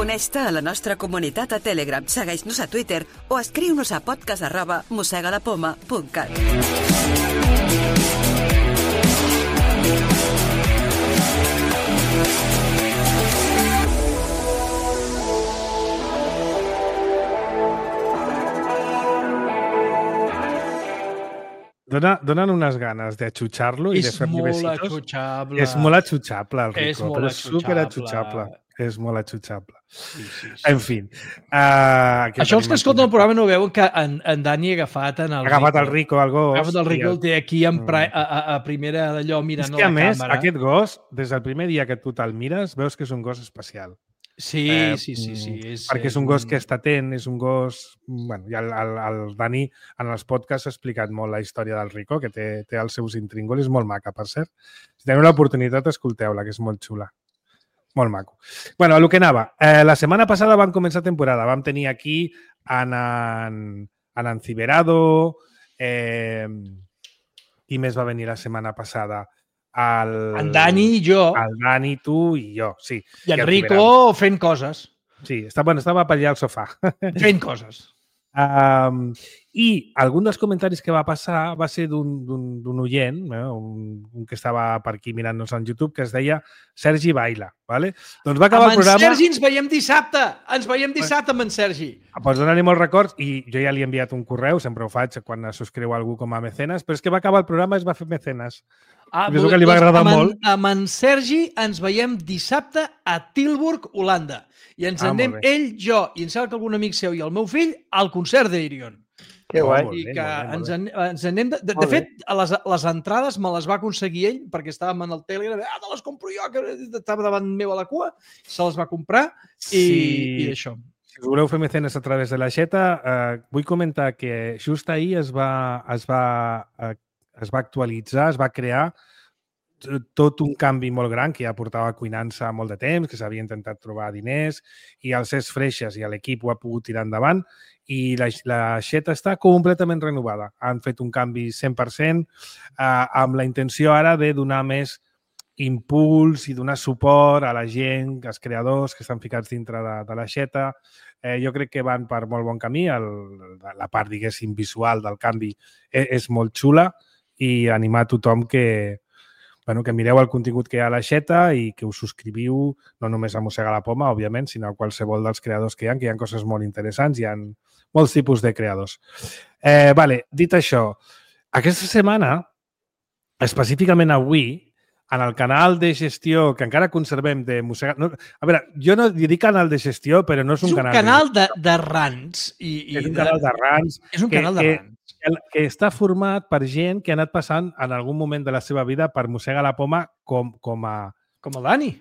Uneix-te a la nostra comunitat a Telegram, segueix-nos a Twitter o escriu-nos a podcast arroba mossegalapoma punt cat. Dona, donen unes ganes d'atxutxar-lo i de fer-li besitos. És molt atxutxable. És molt atxutxable, el Rico. És molt però és superatxutxable. És molt atxutxable. Sí, sí, sí. En fi. Uh, Això els que escolten el programa no veuen que en, en Dani ha agafat en el ha agafat el Rico, el gos. Ha agafat el Rico, el té aquí en pra, a, a, a primera d'allò mirant és que, a la a més, càmera. Aquest gos, des del primer dia que tu te'l mires, veus que és un gos especial. Sí, eh, sí, sí, sí. És, perquè és un gos que està atent, és un gos... Bueno, i el, el, el Dani en els podcasts ha explicat molt la història del Rico, que té, té els seus intríngulis, molt maca, per cert. Si teniu l'oportunitat, escolteu-la, que és molt xula. Molt maco. Bueno, a lo que anava. Eh, la setmana passada vam començar temporada. Vam tenir aquí en, en, en Enciberado, eh, qui més va venir la setmana passada? El, en Dani i jo. El Dani, tu i jo, sí. I en Rico fent coses. Sí, estava, bueno, estava per allà al sofà. Fent coses. Um, I algun dels comentaris que va passar va ser d'un oient, eh, un, un que estava per aquí mirant-nos en YouTube, que es deia Sergi Baila. Vale? Doncs va acabar amb el programa... en Sergi ens veiem dissabte! Ens veiem dissabte amb en Sergi! Pots donar-li molts records i jo ja li he enviat un correu, sempre ho faig quan es subscriu algú com a mecenes, però és que va acabar el programa i es va fer mecenes. Ah, és el que li va agradar amb en, molt. Amb en Sergi ens veiem dissabte a Tilburg, Holanda. I ens Ah, anem molt bé. ell, jo, i em sembla que algun amic seu i el meu fill al concert d'Irion. Que Oh, guai. molt I bé, que molt bé, molt ens, bé. en, ens anem... De, de, de Molt bé. fet, a les, les entrades me les va aconseguir ell perquè estàvem en el Telegram. Ah, te les compro jo, que estava davant meu a la cua. Se les va comprar i, Sí. i això. Si us voleu fer mecenes a través de la xeta, eh, vull comentar que just ahir es va, es va, eh, es va actualitzar, es va crear tot un canvi molt gran que ja portava cuinant-se molt de temps, que s'havia intentat trobar diners i el Cesc Freixas i l'equip ho ha pogut tirar endavant i la, la xeta està completament renovada. Han fet un canvi cent per cent eh, amb la intenció ara de donar més impuls i donar suport a la gent, als creadors que estan ficats dintre de, de la xeta. Eh, jo crec que van per molt bon camí. El, la part, diguéssim, visual del canvi és, és molt xula i animar a tothom que, bueno, que mireu el contingut que hi ha a la xeta i que us subscriviu no només a Mossega la Poma, òbviament, sinó a qualsevol dels creadors que hi ha, que hi ha coses molt interessants, hi ha molts tipus de creadors. Eh, vale, dit això, aquesta setmana, específicament avui, en el canal de gestió que encara conservem de Mossega... No, a veure, jo no dic canal de gestió, però no és un, És un canal, canal de, de rants. I, i és un de, canal de rants. És un que- canal de que- rants. que, que està format per gent que ha anat passant en algun moment de la seva vida per Mossega la Poma com, com a... Com el Dani.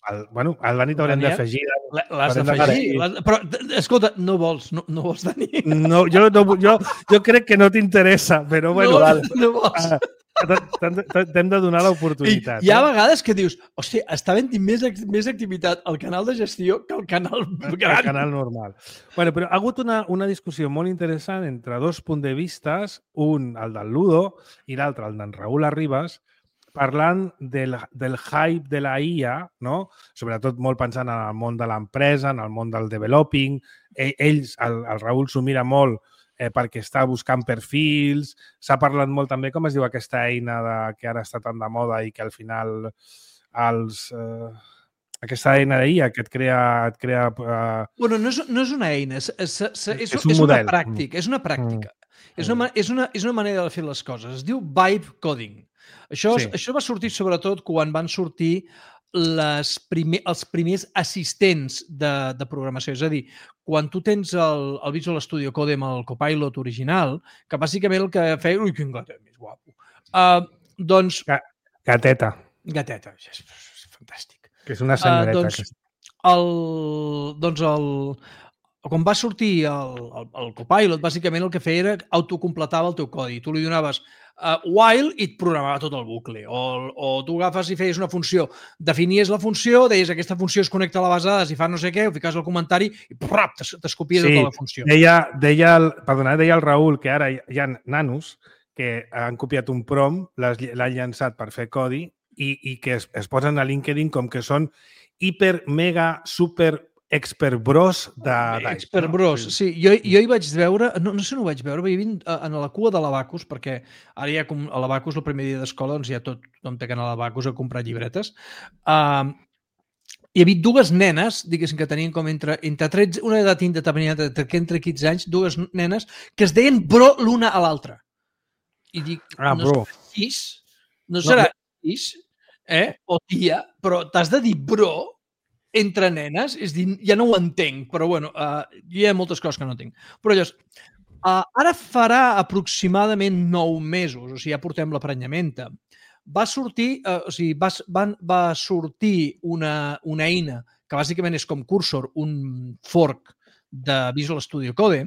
El, bueno, el Dani t'haurem Daniel. d'afegir. L'has Haurem d'afegir. d'afegir. l'has- Però, d- escolta, no vols, no, no vols, Dani. No, jo, no, jo, jo crec que no t'interessa, però bueno, no, val. no vols. Ah, t'hem de- t'hem de donar I l'oportunitat. hi ha eh? vegades que dius, hòstia, està havent més, ac- més activitat al canal de gestió que al canal El gran. canal normal. Bueno, però ha hagut una, una discussió molt interessant entre dos punts de vistes, un, el del Ludo, i l'altre, el d'en Raül Arribas, parlant del, del hype de la I A, no? Sobretot molt pensant en el món de l'empresa, en el món del developing. Ell, ells, el, el Raül s'ho mira molt eh, perquè està buscant perfils. S'ha parlat molt també, com es diu aquesta eina de, que ara està tan de moda i que al final els... Eh, aquesta eina d'I A que et crea... Et crea eh, Bueno, no és, no és una eina, és, és, és, és, És un és una model. pràctica. És una pràctica. És, una, ma- és, una, és una manera de fer les coses. Es diu vibe coding. Això, Sí. sí. això va sortir sobretot quan van sortir les primer, els primers assistents de, de programació. És a dir, quan tu tens el, el Visual Studio Code amb el Copilot original, que bàsicament el que feia... Ui, quin gatet més guapo. Uh, doncs, gateta, gateta, és, és fantàstic. que és una senyoreta. Uh, doncs, que... el, doncs el, quan va sortir el, el, el Copilot, bàsicament el que feia era autocompletava el teu codi. Tu li donaves uh, while i et programava tot el bucle. O, o tu agafes i feies una funció, definies la funció, deies aquesta funció es connecta a la base de dades i fa no sé què, ho fiques al comentari i prrrap, t'escopies Sí, tota la funció. Deia, deia, el, perdona, deia el Raül que ara hi hi ha nanos que han copiat un prom, l'has- l'han llançat per fer codi i, i que es, es posen a LinkedIn com que són hiper, mega, super expert bros de... Expert bros, sí. Jo, jo hi vaig veure, no, no sé on ho vaig veure, vaig vint en la cua de l'Abacus, perquè ara ja com a l'Abacus el primer dia d'escola, doncs ja tot tothom té que anar a l'Abacus a comprar llibretes. Uh, hi havia dues nenes, diguéssim, que tenien com entre, entre tretze, una edat indeterminada, entre, entre quinze anys, dues nenes que es deien bro l'una a l'altra. I dic, Ah, no bro. serà sis, no No, serà sis, eh? O tia, però t'has de dir bro entre nenes, és dir, ja no ho entenc, però bueno, uh, hi ha moltes coses que no entenc. Però llavors, uh, ara farà aproximadament nou mesos, o sigui, ja portem l'aprenyamenta, va sortir, uh, o sigui, va, va, va sortir una, una eina que bàsicament és com Cursor, un fork de Visual Studio Code,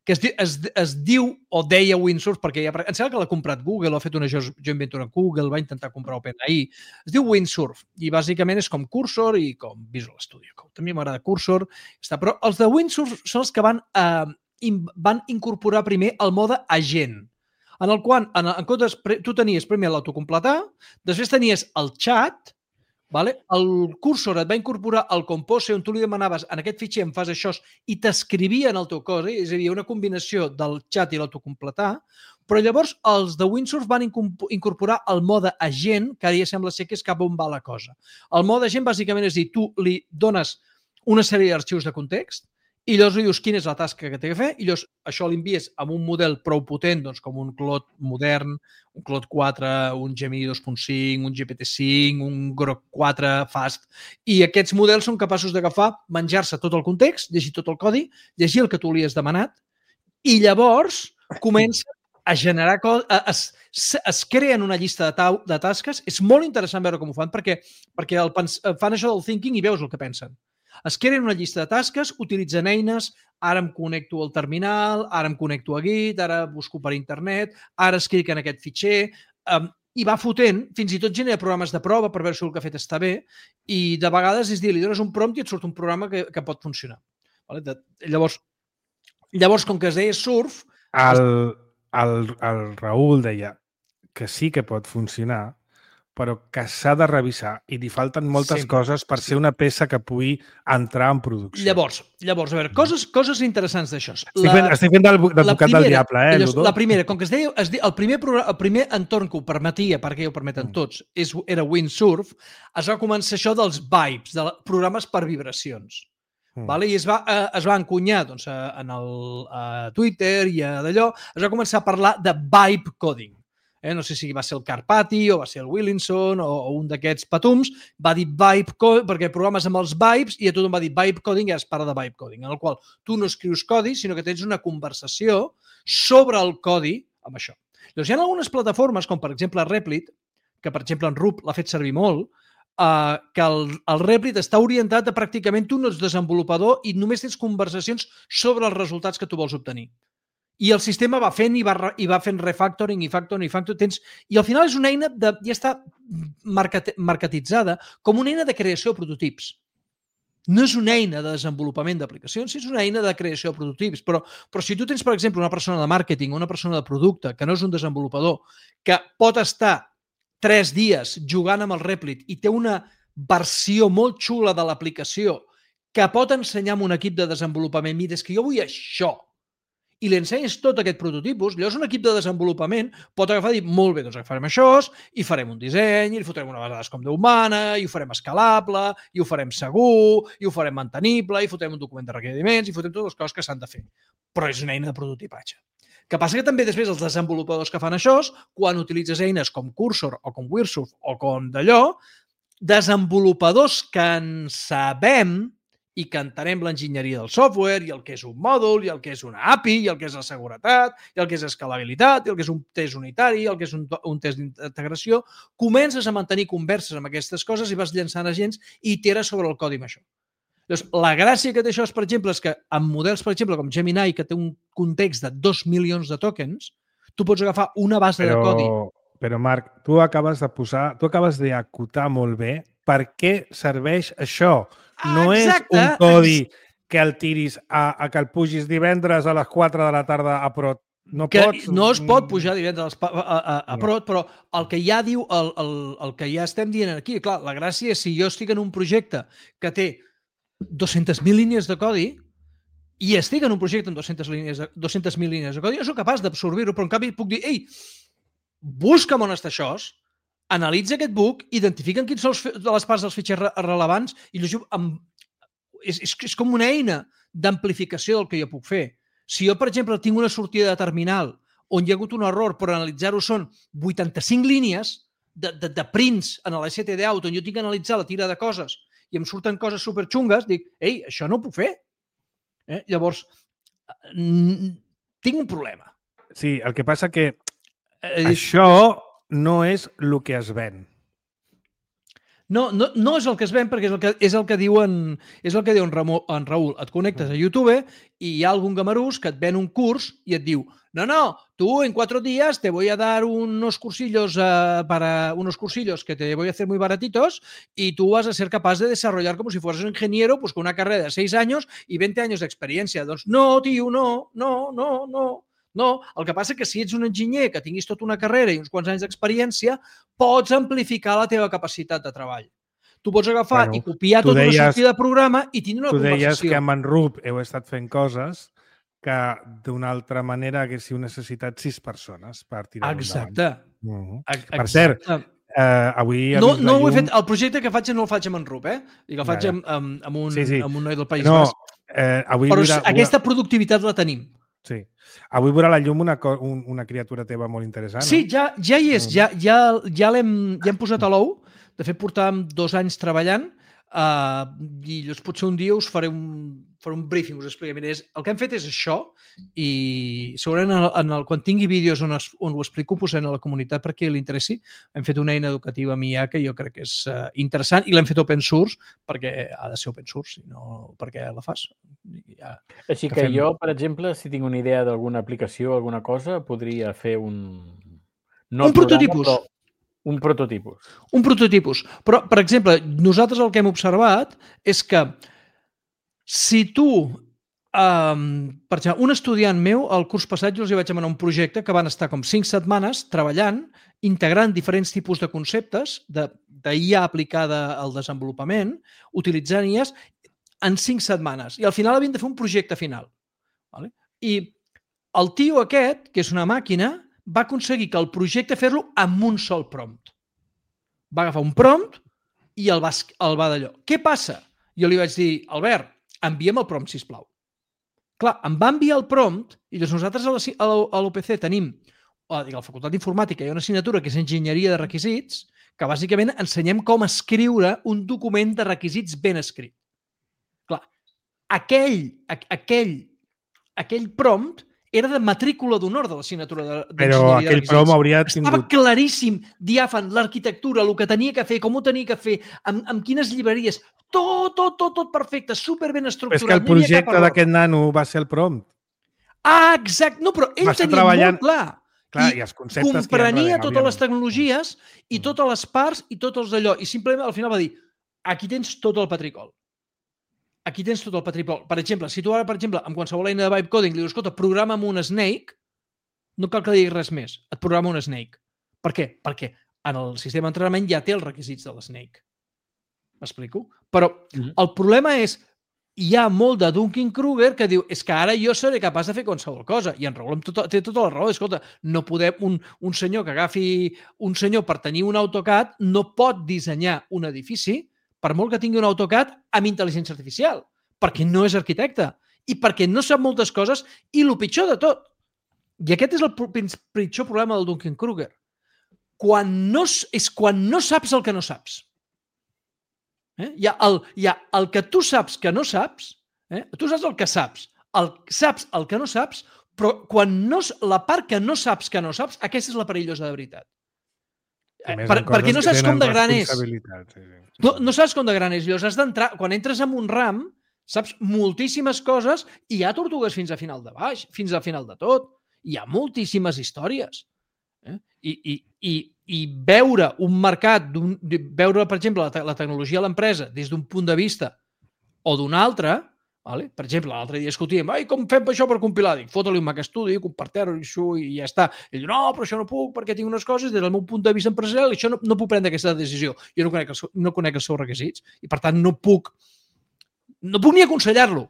que es, di, es, es diu, o deia WinSource, perquè ja, em sembla que l'ha comprat Google, ha fet una joint venture amb Google, va intentar comprar OpenAI, es diu WinSurf, i bàsicament és com Cursor i com Visual Studio Code. També m'agrada Cursor, està, però els de WinSurf són els que van, eh, in, van incorporar primer el mode agent, en el qual, en, en comptes, tu tenies primer l'autocompletar, després tenies el chat, Vale? El cursor et va incorporar el Compose on tu li demanaves en aquest fitxer em fas això i t'escrivia en el teu codi, és a dir, una combinació del xat i l'autocompletar, però llavors els de Windsurf van incorporar el mode agent, que ara ja sembla ser que és cap on va la cosa. El mode agent bàsicament és dir, tu li dones una sèrie d'arxius de context i llavors li dius quina és la tasca que té que fer i llavors això l'envies amb un model prou potent, doncs com un Claude modern, un Claude quatre, un Gemini dos punt cinc, un G P T cinc, un Grok quatre fast, i aquests models són capaços d'agafar, menjar-se tot el context, llegir tot el codi, llegir el que tu li has demanat i llavors comença a generar codi, es, es creen una llista de, tau, de tasques. És molt interessant veure com ho fan perquè, perquè el, fan això del thinking i veus el que pensen. Es creen una llista de tasques, utilitzen eines, ara em connecto al terminal, ara em connecto a Git, ara busco per internet, ara escric en aquest fitxer, um, i va fotent, fins i tot genera programes de prova per veure si el que ha fet està bé, i de vegades és dir, li dones un prompt i et surt un programa que, que pot funcionar. Vale? De, llavors, llavors, com que es deia Surf... El, el, el Raül deia que sí que pot funcionar, però que s'ha de revisar i li falten moltes Sempre. coses per ser una peça que pugui entrar en producció. Llavors, llavors a veure, coses, coses interessants d'això. Estic fent, estic fent d'advocat del diable, eh, llavors, la primera, com que es deia, es deia el, primer programa, el primer entorn que ho permetia, perquè ho permeten mm. tots, és, era Windsurf, es va començar això dels vibes, de programes per vibracions. Mm. Vale? I es va, eh, es va encunyar doncs, en el a Twitter i a d'allò, es va començar a parlar de vibe coding. Eh, no sé si va ser el Carpati o va ser el Willinson o, o un d'aquests patums, va dir vibe coding, perquè programes amb els vibes i a tothom va dir vibe coding i es parla de vibe coding, en el qual tu no escrius codi, sinó que tens una conversació sobre el codi amb això. Llavors, hi ha algunes plataformes, com per exemple Replit, que per exemple en Rup l'ha fet servir molt, eh, que el, el Replit està orientat a pràcticament tu no ets desenvolupador i només tens conversacions sobre els resultats que tu vols obtenir. I el sistema va fent i va, i va fent refactoring i factoring i factoring. Tens, i al final és una eina, de, ja està market, marketitzada com una eina de creació de prototips. No és una eina de desenvolupament d'aplicacions, és una eina de creació de prototips. Però, però si tu tens, per exemple, una persona de màrqueting o una persona de producte que no és un desenvolupador, que pot estar tres dies jugant amb el Replit i té una versió molt xula de l'aplicació que pot ensenyar a un equip de desenvolupament, mira, és que jo vull això, i li ensenyes tot aquest prototipus, llavors un equip de desenvolupament pot agafar i dir, molt bé, doncs agafarem això i farem un disseny, i li fotrem una base de dades com Déu mana, i ho farem escalable, i ho farem segur, i ho farem mantenible, i fotrem un document de requeriments, i fotrem totes les coses que s'han de fer. Però és una eina de prototipatge. Que passa que també després els desenvolupadors que fan això, quan utilitzes eines com Cursor o com Windsurf o com d'allò, desenvolupadors que en sabem i que entenem l'enginyeria del software i el que és un mòdul, i el que és una A P I, i el que és la seguretat, i el que és escalabilitat, i el que és un test unitari, i el que és un, un test d'integració, comences a mantenir converses amb aquestes coses i vas llançant agents i iteres sobre el codi amb això. Llavors, la gràcia que té això, és, per exemple, és que amb models, per exemple, com Gemini, que té un context de dos milions de tokens, tu pots agafar una base però, de codi. Però, Marc, tu acabes de posar, tu acabes d'acotar molt bé per què serveix això. No Exacte. És un codi que el tiris a, a que el pugis divendres a les quatre de la tarda a Prot. No, que pots... no es pot pujar divendres a, a, a, a no. Prot, però el que ja diu, el, el, el que ja estem dient aquí, clar, la gràcia és si jo estic en un projecte que té dues-centes mil línies de codi i estic en un projecte amb dues-centes mil línies de codi, jo soc capaç d'absorbir-ho, però en canvi puc dir, ei, busca'm on està això, analitza aquest book, identifiquen quins són de les parts dels fitxers rellevants i llegiu amb... és, és, és com una eina d'amplificació del que jo puc fer. Si jo, per exemple, tinc una sortida de terminal on hi ha hagut un error, però analitzar-ho són vuitanta-cinc línies de, de, de prints en l'S T D out on jo tinc que analitzar la tira de coses i em surten coses superxungues, dic, ei, això no ho puc fer. Eh? Llavors, tinc un problema. Sí, el que passa que eh, això no és el que es ven. No, no, no és el que es ven perquè és el que, és el que diuen és el que diu en, Ramó, en Raül. Et connectes a YouTube i hi ha algun gamarús que et ven un curs i et diu no, no, tú en cuatro días te voy a dar unos cursillos uh, para unos cursillos que te voy a hacer muy baratitos y tú vas a ser capaz de desarrollar como si fueras un ingeniero pues con una carrera de seis años y veinte años d'experiència. Doncs no, tio, no, no, no, no. No, el que passa és que si ets un enginyer que tinguis tota una carrera i uns quants anys d'experiència, pots amplificar la teva capacitat de treball. Tu pots agafar Bueno, i copiar tu tota una deies- sortida de programa i tindre una Tu deies conversació. que amb en Rup heu estat fent coses que d'una altra manera haguéssiu necessitat sis persones per tirar-ho endavant. Exacte. Uh -huh. Ex- Per cert, exacte. eh, avui ha No, vist no la ho he llum... fet, el projecte que faig no el faig amb en Rup, eh? I que el Ja, faig ja. amb, amb, amb, un, Sí, sí. amb un noi del País No, Basc. eh, avui Però veurà, aquesta productivitat la tenim. Sí. Avui veurà la llum una, co- un, una criatura teva molt interessant. Sí, no? ja, ja hi és, Mm. ja, ja, ja l'hem ja hem posat a l'ou. De fet, portàvem dos anys treballant uh, i llavors potser un dia us faré un, faré un briefing, us explicaré. Mira, és, el que hem fet és això i segurament en el, en el, quan tingui vídeos on, es, on ho explico, ho posaré a la comunitat perquè li interessi. Hem fet una eina educativa amb I A que jo crec que és uh, interessant i l'hem fet open source perquè ha de ser open source, si no perquè la fas. Ja, Així que que fem- jo, per exemple, si tinc una idea d'alguna aplicació o alguna cosa, podria fer un... No Un el programa, prototipus. però un prototipus. Un prototipus. Però, per exemple, nosaltres el que hem observat és que si tu, um, per exemple, un estudiant meu, al curs passat jo els hi vaig demanar un projecte que van estar com cinc setmanes treballant, integrant diferents tipus de conceptes de, de I A aplicada al desenvolupament, utilitzant I As en cinc setmanes. I al final havien de fer un projecte final. Vale? I el tio aquest, que és una màquina, va aconseguir que el projecte fer-lo amb un sol prompt. Va agafar un prompt i el va, el va d'allò. Què passa? Jo li vaig dir, Albert, envia'm el prompt, sisplau. Clar, em va enviar el prompt i doncs nosaltres a la- a la- a l'U P C tenim, a la Facultat d'Informàtica, hi ha una assignatura que és Enginyeria de Requisits, que bàsicament ensenyem com escriure un document de requisits ben escrit. Clar, aquell, a- aquell, aquell prompt era de matrícula d'honor de l'assignatura de- Però d'Enginyeria de aquell Requisits. prom hauria Estava tingut... claríssim, diàfan, l'arquitectura, el que tenia que fer, com ho tenia que fer, amb, amb quines llibreries, tot, tot, tot, tot perfecte, superben Però és estructurat. que el no hi havia cap projecte error. d'aquest nano va ser el prompt. Ah, exacte. No, però ell Va estar tenia treballant- molt clar. Clar, I i els conceptes que hi ha comprenia darrere, totes les òbviament. tecnologies i Mm. totes les parts i tots els d'allò. I simplement al final va dir, aquí tens tot el patricol. Aquí tens tot el patricol. Per exemple, si tu ara, per exemple, amb qualsevol eina de vibe coding li dius, escolta, programa amb un Snake, no cal que diguis res més. Et programa un Snake. Per què? Perquè en el sistema d'entrenament ja té els requisits de l'Snake. M'explico? Però Mhm. el problema és hi ha molt de Dunning-Kruger que diu és que ara jo seré capaç de fer qualsevol cosa. I en Raül amb tota, té tota la raó. Escolta, no podem, un, un senyor que agafi un senyor per tenir un AutoCAD no pot dissenyar un edifici per molt que tingui un AutoCAD amb intel·ligència artificial, perquè no és arquitecte i perquè no sap moltes coses i el pitjor de tot. I aquest és el pro- pitjor problema del Dunning-Kruger. Quan no, s- és quan no saps el que no saps. Eh? Hi, ha el, hi ha el que tu saps que no saps, eh? Tu saps el que saps, el, saps el que no saps, però quan no, s- la part que no saps que no saps, aquesta és la perillosa de veritat. A Eh, més, per, en coses perquè no que saps com tenen de gran és. responsabilitat, Sí, sí. No, no saps com de gran és. Llavors has d'entrar, quan entres en un ram, saps moltíssimes coses i hi ha tortugues fins a final de baix, fins al final de tot. Hi ha moltíssimes històries. Eh? I, i, i, I veure un mercat, d'un- de- veure, per exemple, la, te la tecnologia a l'empresa des d'un punt de vista o d'un altre, vale? Per exemple, l'altre dia discutíem, ai, com fem això per compilar? Dic, fota-li un Mac Studio, compartir-ho i ja està. Ell diu, no, però això no puc perquè tinc unes coses, des del meu punt de vista empresarial, això no, no puc prendre aquesta decisió. Jo no conec, el seu, no conec els seus requisits i, per tant, no puc, no puc ni aconsellar-lo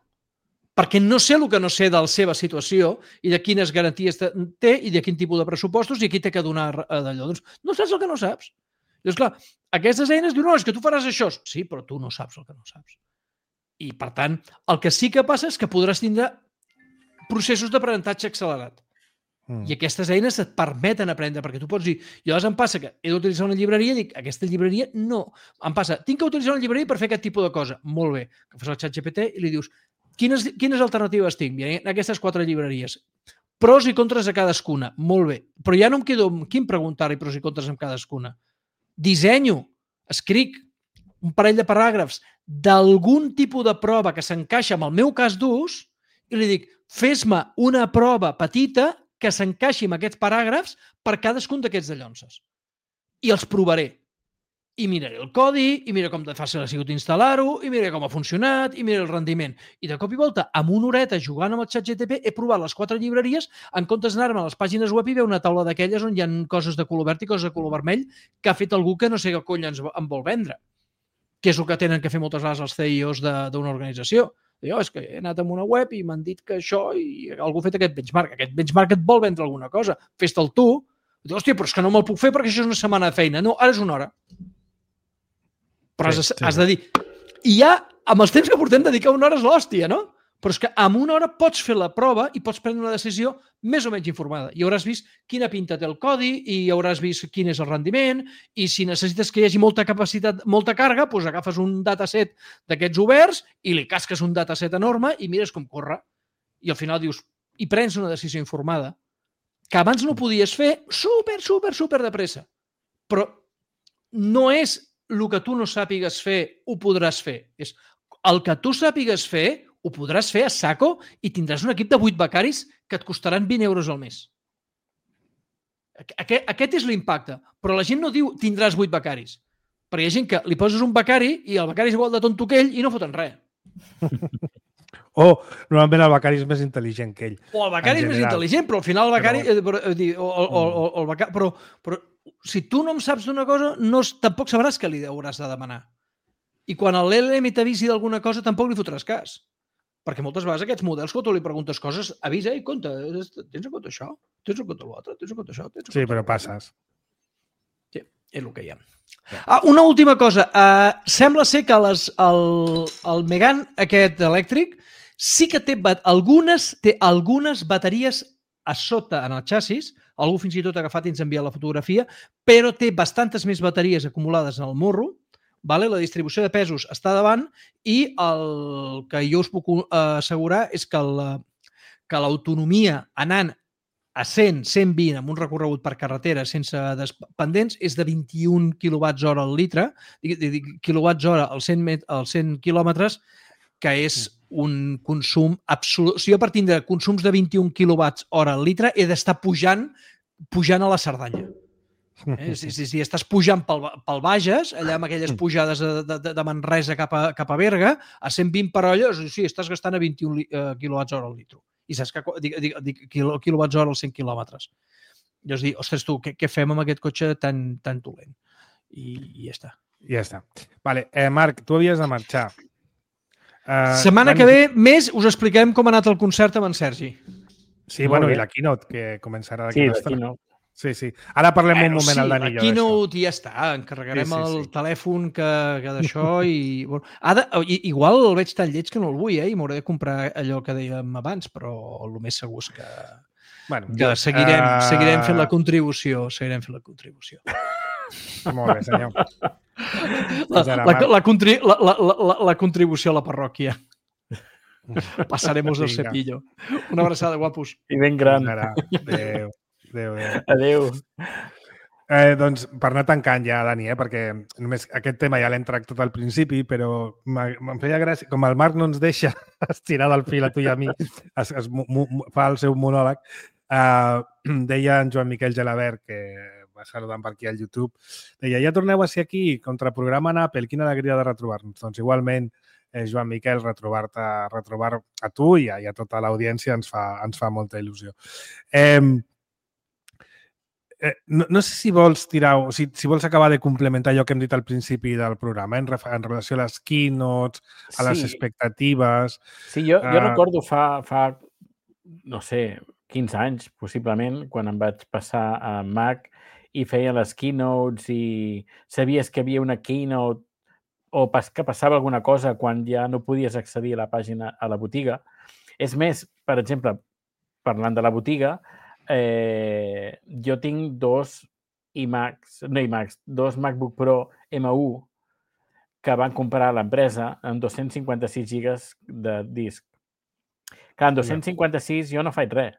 perquè no sé el que no sé de la seva situació i de quines garanties té i de quin tipus de pressupostos i aquí té que donar d'allò. Doncs no saps el que no saps. Llavors, clar, aquestes eines diuen, no, és que tu faràs això. Sí, però tu no saps el que no saps. I, per tant, el que sí que passa és que podràs tindre processos d'aprenentatge accelerat. Mm. I aquestes eines et permeten aprendre, perquè tu pots dir, jo em passa que he d'utilitzar una llibreria i dic, aquesta llibreria no. Em passa, tinc que utilitzar una llibreria per fer aquest tipus de cosa. Molt bé. Que fas el xat G P T i li dius, quines, quines alternatives tinc? Mira, aquestes quatre llibreries. Pros i contres a cadascuna. Molt bé. Però ja no em quedo amb quin preguntar-hi pros i contres amb cadascuna. Dissenyo, escric un parell de paràgrafs d'algun tipus de prova que s'encaixa amb el meu cas d'ús i li dic, fes-me una prova petita que s'encaixi amb aquests paràgrafs per cadascun d'aquests dallonses. I els provaré. I miraré el codi, i mira com de fàcil ha sigut instal·lar-ho, i mira com ha funcionat, i mira el rendiment. I de cop i volta, amb una horeta jugant amb el xat G P T, he provat les quatre llibreries en comptes d'anar-me a les pàgines web i veure una taula d'aquelles on hi ha coses de color verd i coses de color vermell que ha fet algú que no sé què cony ens en vol vendre. que és el que tenen que fer moltes vegades els C I Os d'una organització. Jo, és que he anat a una web i m'han dit que això i algú ha fet aquest benchmark. Aquest benchmark et vol vendre alguna cosa. Fes-te'l tu. Diu, hòstia, però és que no me'l puc fer perquè això és una setmana de feina. No, ara és una hora. Però sí, has, sí. has de dir... I ja, amb els temps que portem, dedicar una hora és l'hòstia, no? Però és que amb una hora pots fer la prova i pots prendre una decisió més o menys informada. I hauràs vist quina pinta té el codi i hauràs vist quin és el rendiment i si necessites que hi hagi molta capacitat, molta càrrega, doncs agafes un dataset d'aquests oberts i li casques un dataset enorme i mires com corre. I al final dius, i prens una decisió informada que abans no podies fer super, super, super de pressa. Però no és el que tu no sàpigues fer, ho podràs fer. És el que tu sàpigues fer, ho podràs fer a saco i tindràs un equip de vuit becaris que et costaran vint euros al mes. Aquest, aquest és l'impacte. Però la gent no diu tindràs vuit becaris. Perquè hi ha gent que li poses un becari i el becari és igual de tonto que ell i no foten res. O normalment el becari és més intel·ligent que ell. O el becari és més intel·ligent, però al final el becari... Però, o, o, o, o, el becari però, però si tu no em saps d'una cosa, no, tampoc sabràs què li hauràs de demanar. I quan l'L L M t'avisi d'alguna cosa, tampoc li fotràs cas. Perquè moltes vegades aquests models, quan tu li preguntes coses, avisa i compte, tens en compte això? Tens en compte l'altre? Tens en compte això? Tens en sí, compte però passes. Sí, és el que hi ha. Ah, una última cosa. Uh, sembla ser que les, el, el Megane aquest elèctric sí que té algunes, té algunes bateries a sota en el xassis, algú fins i tot ha agafat i ens ha enviat la fotografia, però té bastantes més bateries acumulades en el morro. Vale? La distribució de pesos està davant i el que jo us puc assegurar és que l'autonomia anant a cent, cent vint amb un recorregut per carretera sense pendents és de vint-i-un quilowatts hora al litre, quilowatts hora als cent, als cent quilòmetres, que és un consum absolut. Si jo per tindre consums de vint-i-un quilowatts hora al litre he d'estar pujant, pujant a la Cerdanya. Eh? Si, si, si estàs pujant pel, pel Bages, allà amb aquelles pujades de, de, de Manresa cap a, cap a Berga, a cent vint per hora, sí, estàs gastant a vint-i-un uh, quilowatts hora al litro. I saps que dic, dic, dic, quilowatts hora als cent quilòmetres. I us dic, ostres, tu, què, què fem amb aquest cotxe tan, tan dolent? I, i ja està. Ja està. Vale, eh, Marc, tu havies de marxar. Uh, Setmana van... que ve, més, us expliquem com ha anat el concert amb en Sergi. Sí, Molt bueno, bé. I la keynote, que començarà d'aquí. Sí, la keynote. Sí, sí. Ara parlem bueno, un moment sí, al Dani. Aquí no ja està. Encarregarem sí, sí, sí. el telèfon que, que d'això i... Bueno, ha de, igual el veig tan lleig que no el vull, eh? I m'hauré de comprar allò que dèiem abans, però el més segur és que, bueno, que seguirem, uh... seguirem fent la contribució. Seguirem fent la contribució. Molt bé, senyor. La, la, la, contri, la, la, la, la contribució a la parròquia. Passaremos el cepillo. Una abraçada, guapos. I ben gran. Adéu. Adéu, adéu. Adéu. Eh, doncs, per anar tancant ja, Dani, eh, perquè només aquest tema ja l'hem tractat al principi, però em feia gràcia, com el Marc no ens deixa estirar del fil a tu i a mi, es, es, mu, fa el seu monòleg, eh, deia en Joan Miquel Gelabert, que va saludant per aquí al YouTube, deia, ja torneu a ser aquí, contraprograma en Apple, quina alegria de retrobar-nos. Doncs igualment, eh, Joan Miquel, retrobar-te, retrobar a tu i a, i a tota l'audiència ens fa, ens fa molta il·lusió. Eh, Eh, no, no sé si vols tirar, o si, si vols acabar de complementar allò que hem dit al principi del programa, en, en relació a les keynotes, a les sí. expectatives... Sí, jo, jo uh... recordo fa, fa, no sé, quinze anys, possiblement, quan em vaig passar a Mac i feia les keynotes i sabies que havia una keynote o pas, que passava alguna cosa quan ja no podies accedir a la pàgina, a la botiga. És més, per exemple, parlant de la botiga, Eh, jo tinc dos iMacs, no iMacs, dos MacBook Pro M u que van comprar a l'empresa amb dos-cents cinquanta-sis gigas de disc. Clar, amb dos-cents cinquanta-sis jo no faig res.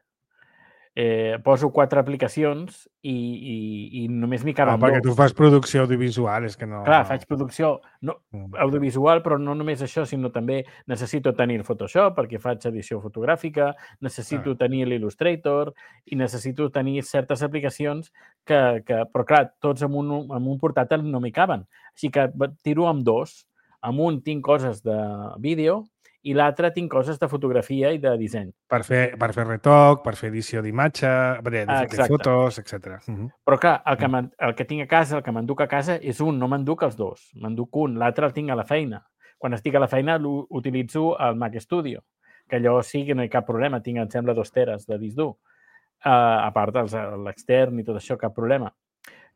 Eh, poso quatre aplicacions i, i, i només m'hi caben ah, perquè dos. Tu fas producció audiovisual, és que no... Clar, faig producció no, audiovisual, però no només això, sinó també necessito tenir el Photoshop perquè faig edició fotogràfica, necessito ah. tenir l'Illustrator i necessito tenir certes aplicacions que, que però clar, tots amb un, amb un portàtil no m'hi caben. Així que tiro amb dos. Amb un tinc coses de vídeo i l'altre tinc coses de fotografia i de disseny. Per fer, per fer retoc, per fer edició d'imatge, de, de, de fotos, etcètera. Uh -huh. Però clar, el que, el que tinc a casa, el que m'enduc a casa és un, no m'enduc els dos. M'enduc un, l'altre el tinc a la feina. Quan estic a la feina utilitzo el Mac Studio, que allò sí que no hi ha cap problema, tinc, em sembla, dos teres de disc dur. Uh, a part de l'extern i tot això, cap problema.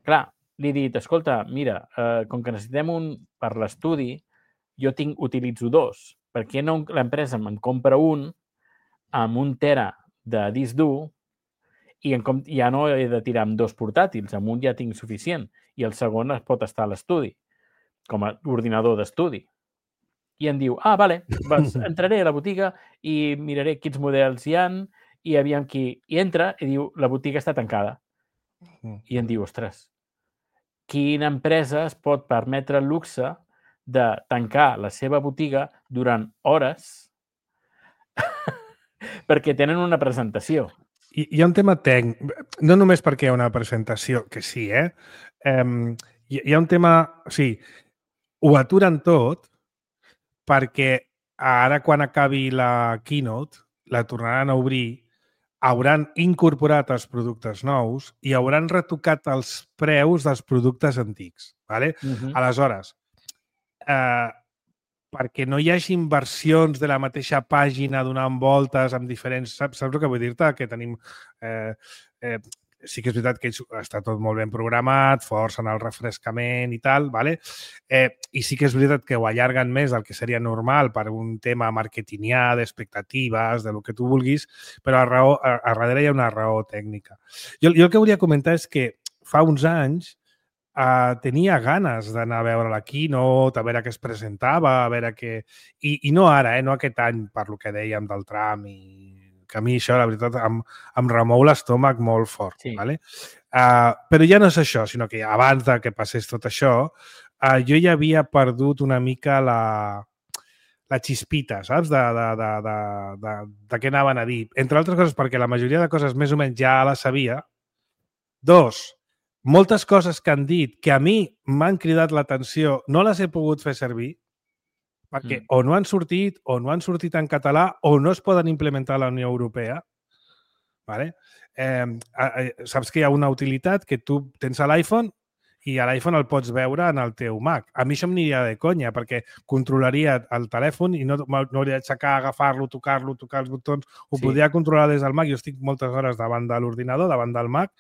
Clar, li he dit, escolta, mira, uh, com que necessitem un per l'estudi, jo tinc, utilitzo dos. Per què no l'empresa me'n compra un amb un tera de disc dur i en com, ja no he de tirar amb dos portàtils, amb un ja tinc suficient i el segon es pot estar a l'estudi, com a ordinador d'estudi. I em diu, ah, vale, doncs entraré a la botiga i miraré quins models hi han i aviam qui... I entra i diu, la botiga està tancada. I em diu, ostres, quina empresa es pot permetre el luxe de tancar la seva botiga durant hores perquè tenen una presentació. Hi, hi ha un tema tècnic, no només perquè hi ha una presentació, que sí, eh? Um, hi, hi ha un tema... O sigui, ho aturen tot perquè ara, quan acabi la keynote, la tornaran a obrir, hauran incorporat els productes nous i hauran retocat els preus dels productes antics. ¿Vale? Uh-huh. Aleshores, eh, perquè no hi hagi inversions de la mateixa pàgina donant voltes amb diferents... Saps, saps el que vull dir-te? Que tenim... Eh, eh, sí que és veritat que està tot molt ben programat, força en el refrescament i tal, ¿vale? eh, i sí que és veritat que ho allarguen més del que seria normal per un tema marketingià, d'expectatives, de lo que tu vulguis, però a, raó, a, a darrere hi ha una raó tècnica. Jo, jo el que volia comentar és que fa uns anys Uh, tenia ganes d'anar a veure la keynote, a veure què es presentava, a veure què... I, i no ara, eh? No aquest any, per lo que dèiem del tram, i que a mi això, la veritat, em, em remou l'estómac molt fort. Sí. ¿Vale? Uh, però ja no és això, sinó que abans de que passés tot això, uh, jo ja havia perdut una mica la, la xispita, saps? De, de, de, de, de, de què anaven a dir. Entre altres coses, perquè la majoria de coses més o menys ja les sabia. Dos, moltes coses que han dit que a mi m'han cridat l'atenció no les he pogut fer servir perquè mm. o no han sortit, o no han sortit en català, o no es poden implementar a la Unió Europea. ¿Vale? Eh, saps que hi ha una utilitat que tu tens a l'iPhone i a l'iPhone el pots veure en el teu Mac. A mi això m'aniria de conya, perquè controlaria el telèfon i no, no hauria d'aixecar, agafar-lo, tocar-lo, tocar els botons. Ho sí. podria controlar des del Mac. Jo estic moltes hores davant de l'ordinador, davant del Mac,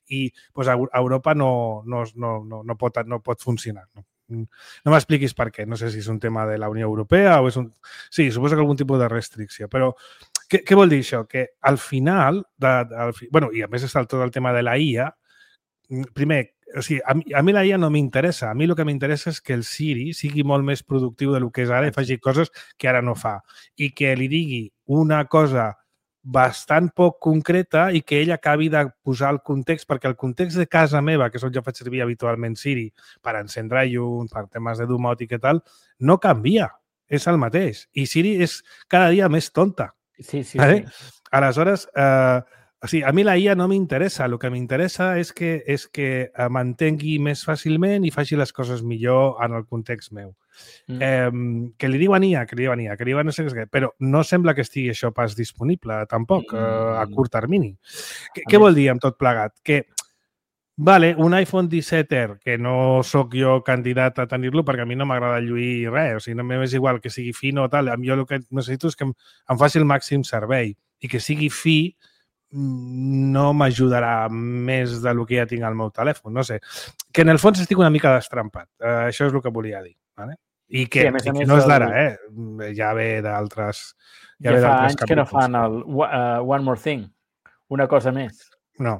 i pues, a Europa no, no, no, no, no, pot, no pot funcionar. No, no m'expliquis per què. No sé si és un tema de la Unió Europea o és un... Sí, suposo que algun tipus de restricció, però què, què vol dir això? Que al final, de, de, al fi... bueno, i a més està tot el tema de la I A, primer, o sigui, a mi, a mi la I A no m'interessa. A mi el que m'interessa és que el Siri sigui molt més productiu del que és ara i faci coses que ara no fa. I que li digui una cosa bastant poc concreta i que ell acabi de posar el context, perquè el context de casa meva, que és on jo faig servir habitualment Siri per encendre llum, per temes de domòtica i tal, no canvia. És el mateix. I Siri és cada dia més tonta. Sí, sí, ¿vale? sí. Aleshores, eh, o sigui, a mi la I A no m'interessa. El que m'interessa és que, és que m'entengui més fàcilment i faci les coses millor en el context meu. Mm. Eh, que li diuen I A, que li diuen I A, que li diuen no sé què, però no sembla que estigui això pas disponible tampoc mm. eh, a curt termini. Què, què vol dir amb tot plegat? Que, vale, un iPhone disset R, que no sóc jo candidat a tenir-lo perquè a mi no m'agrada lluir res, o sigui, no m'és igual que sigui fi o tal, jo el que necessito és que em, em faci el màxim servei i que sigui fi no m'ajudarà més del que ja tinc al meu telèfon, no sé. Que en el fons estic una mica destrampat. Uh, això és el que volia dir. ¿Vale? I que, sí, a més, a més, i que no és d'ara, el... eh? Ja ve d'altres ja, ja ve fa anys capítols. Que no fan el uh, One More Thing, una cosa més. No,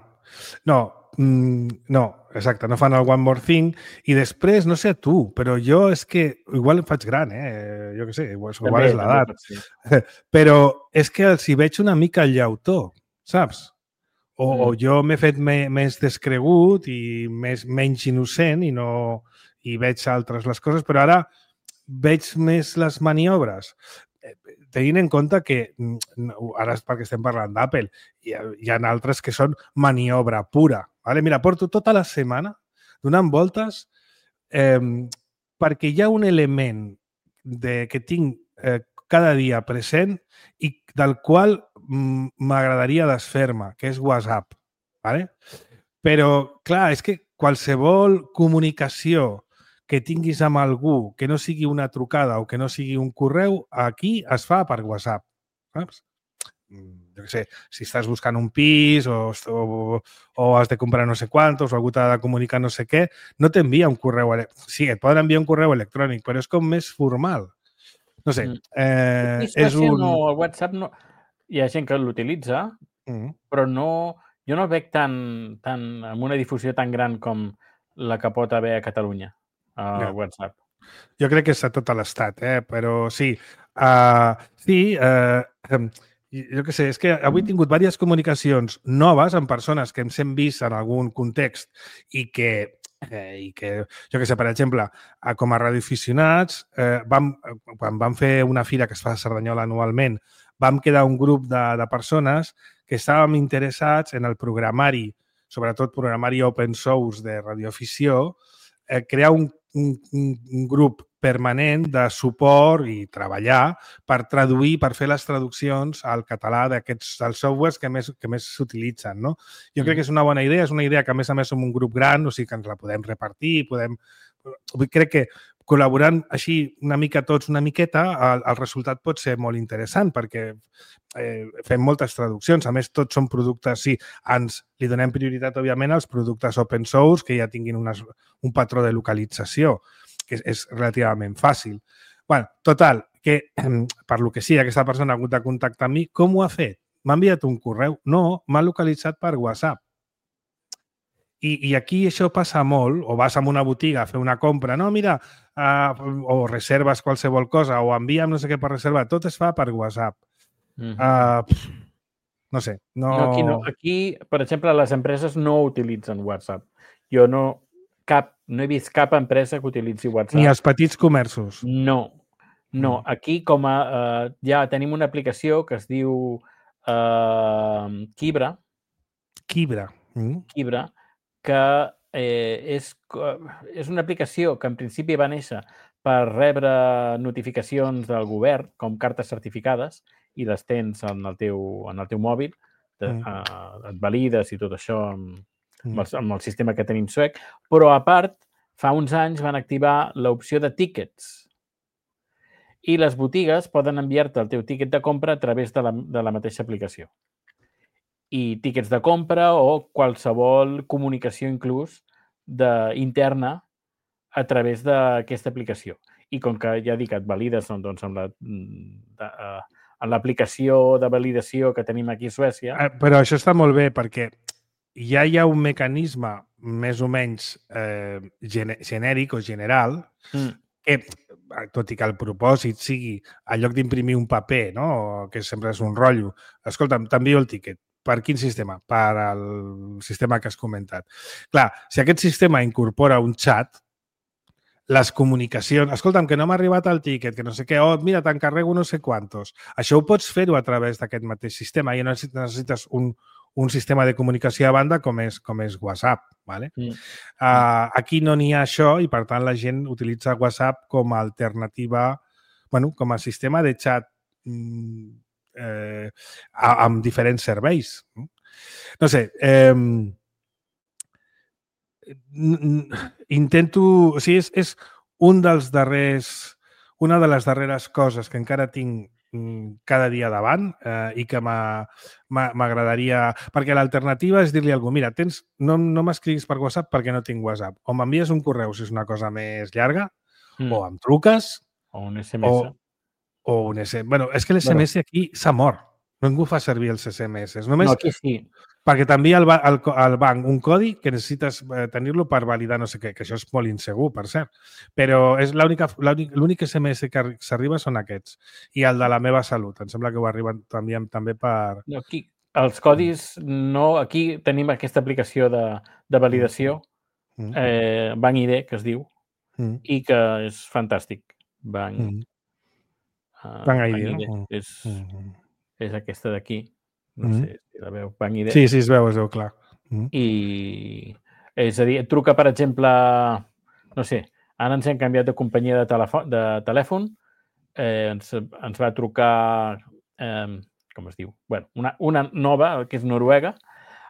no, mm, no, exacte, no fan el One More Thing i després, no sé tu, però jo és que igual em faig gran, eh? Jo què sé, igual, també, igual és l'edat. Sí. Però és que els hi veig una mica el llautó, saps? O, mm. o jo m'he fet me, més descregut i més, menys innocent i no i veig altres les coses, però ara veig més les maniobres. Tenint en compte que, ara és perquè estem parlant d'Apple, hi, hi ha altres que són maniobra pura. Vale? Mira, porto tota la setmana donant voltes eh, perquè hi ha un element de, que tinc eh, cada dia present i del qual m'agradaria desfer-me, que és WhatsApp. Vale? Però, clar, és que qualsevol comunicació que tinguis amb algú que no sigui una trucada o que no sigui un correu, aquí es fa per WhatsApp. Saps? Jo què sé, si estàs buscant un pis o, o, o has de comprar no sé quantos o algú t'ha de comunicar no sé què, no t'envia un correu electrònic. Sí, et poden enviar un correu electrònic, però és com més formal. No sé, eh, és un... No, el WhatsApp no... Hi ha gent que l'utilitza, mm. però no... Jo no el veig tan, tan, amb una difusió tan gran com la que pot haver a Catalunya, a no. WhatsApp. Jo crec que és a tot l'estat, eh? Però sí. Uh, sí, uh, jo què sé, és que avui he tingut diverses comunicacions noves amb persones que ens hem vist en algun context i que, eh, i que jo què sé, per exemple, com a radioaficionats, eh, vam, quan vam fer una fira que es fa a Cerdanyola anualment, vam quedar un grup de, de persones que estàvem interessats en el programari, sobretot programari open source de radioafició, eh, crear un, un, un grup permanent de suport i treballar per traduir, per fer les traduccions al català d'aquests dels softwares que més, que més s'utilitzen. No? Jo mm. crec que és una bona idea, és una idea que a més a més som un grup gran, o sigui que ens la podem repartir, podem... Crec que col·laborant així una mica tots, una miqueta, el, el resultat pot ser molt interessant perquè eh, fem moltes traduccions. A més, tots són productes, sí, ens li donem prioritat, òbviament, als productes open source que ja tinguin unes, un patró de localització, que és, és relativament fàcil. Bé, total, que per lo que sí, aquesta persona ha hagut de contactar amb mi. Com ho ha fet? M'ha enviat un correu? No, m'ha localitzat per WhatsApp. I, I aquí això passa molt, o vas a una botiga a fer una compra, no, mira, uh, o reserves qualsevol cosa, o envia'm no sé què per reservar, tot es fa per WhatsApp. Mm-hmm. uh, no sé. No... No, aquí, no. Aquí, per exemple, les empreses no utilitzen WhatsApp. Jo no, cap, no he vist cap empresa que utilitzi WhatsApp. Ni els petits comerços. No, no. Mm. Aquí com a, uh, ja tenim una aplicació que es diu uh, Kibra. Kibra. Mm. Kibra, que eh, és, és una aplicació que en principi va néixer per rebre notificacions del govern, com cartes certificades, i les tens en el teu, en el teu mòbil, te, mm. eh, et valides i tot això amb, mm. amb, el, amb el sistema que tenim suec, però a part, fa uns anys van activar l'opció de tickets i les botigues poden enviar-te el teu tiquet de compra a través de la, de la mateixa aplicació. I tíquets de compra o qualsevol comunicació inclús de, interna a través d'aquesta aplicació. I com que ja dic, et valides doncs, amb la, de, uh, en l'aplicació de validació que tenim aquí a Suècia... Eh, però això està molt bé perquè ja hi ha un mecanisme més o menys eh, genèric o general mm. que, tot i que el propòsit sigui, en lloc d'imprimir un paper, no? Que sempre és un rotllo, escolta'm, t'envio el tiquet. Per quin sistema? Per al sistema que has comentat. Clar, si aquest sistema incorpora un xat, les comunicacions... Escolta'm, que no m'ha arribat el tiquet, que no sé què, oh, mira, t'encarrego no sé quantos. Això ho pots fer-ho a través d'aquest mateix sistema i no necessites un, un sistema de comunicació a banda com és, com és WhatsApp. Vale? Mm. Uh, aquí no n'hi ha això i, per tant, la gent utilitza WhatsApp com a alternativa, bueno, com a sistema de xat mm, Eh, amb diferents serveis. No sé, eh, intento... O sigui, és, és un dels darrers... Una de les darreres coses que encara tinc cada dia davant eh, i que m'agradaria... Perquè l'alternativa és dir-li a algú, mira, tens, no, no m'escriguis per WhatsApp perquè no tinc WhatsApp. O m'envies un correu si és una cosa més llarga, mm. o em truques... O un S M S. O, o un S M S. Bueno, és que l'S M S bueno. Aquí s'ha mort. Ningú fa servir els S M S. Només no, aquí sí. Perquè t'envia al, al, al banc un codi que necessites tenir-lo per validar no sé què, que això és molt insegur, per cert. Però és l'únic S M S que s'arriba són aquests. I el de la meva salut. Em sembla que ho arriben també, també per... No, aquí, els codis no... Aquí tenim aquesta aplicació de, de validació, mm. eh, Banc I D, que es diu, mm. i que és fantàstic. Banc... Mm. Uh, Banc I D. I D. Mm. És, mm. és aquesta d'aquí. No mm. sé si la veu, Banc I D. Sí, sí, es veu, es veu, clar. Mm. I, és a dir, et truca, per exemple, no sé, ara ens hem canviat de companyia de, telèfon, de telèfon eh, ens, ens va trucar, eh, com es diu? Bueno, una, una nova, que és noruega,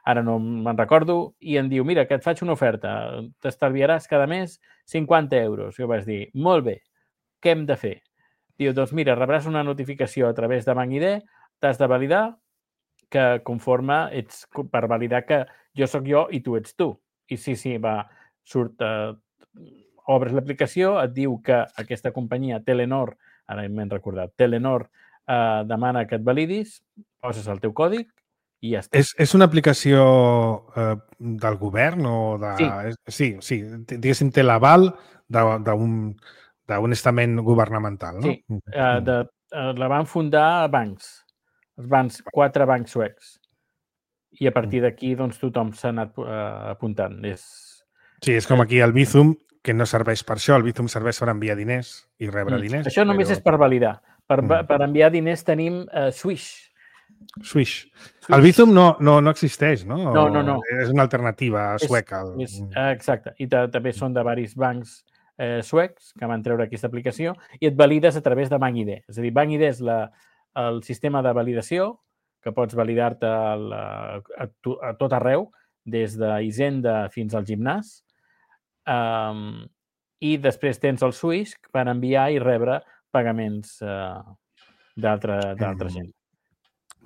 ara no me'n recordo, i em diu, mira, que et faig una oferta, t'estalviaràs cada mes cinquanta euros. Jo vaig dir, molt bé, què hem de fer? Diu, doncs mira, rebràs una notificació a través de BankID, t'has de validar, que conforme ets per validar que jo sóc jo i tu ets tu. I sí, sí, va, surt, eh, obres l'aplicació, et diu que aquesta companyia, Telenor, ara m'he recordat, Telenor eh, demana que et validis, poses el teu còdig i ja està. És, és una aplicació eh, del govern o de... Sí. Sí, sí, diguéssim, té l'aval d'un d'un estament governamental, no? Sí, eh, de, eh, la van fundar bancs, els bancs, quatre bancs suecs. I a partir d'aquí, doncs, tothom s'ha anat eh, apuntant. És... Sí, és com aquí el Bizum, que no serveix per això. El Bizum serveix per enviar diners i rebre mm. diners. Això només però... és per validar. Per, Mm. per enviar diners tenim eh, Swish. Swish. Swish. El Bizum no, no, no existeix, no? No, no, no. És una alternativa sueca. És, és, exacte. I també són de diversos bancs eh, suecs que van treure aquesta aplicació i et valides a través de BankID. És a dir, BankID és la, el sistema de validació que pots validar-te a, a, a tot arreu, des d'Hisenda fins al gimnàs. Um, I després tens el Swish per enviar i rebre pagaments uh, d'altra mm. gent.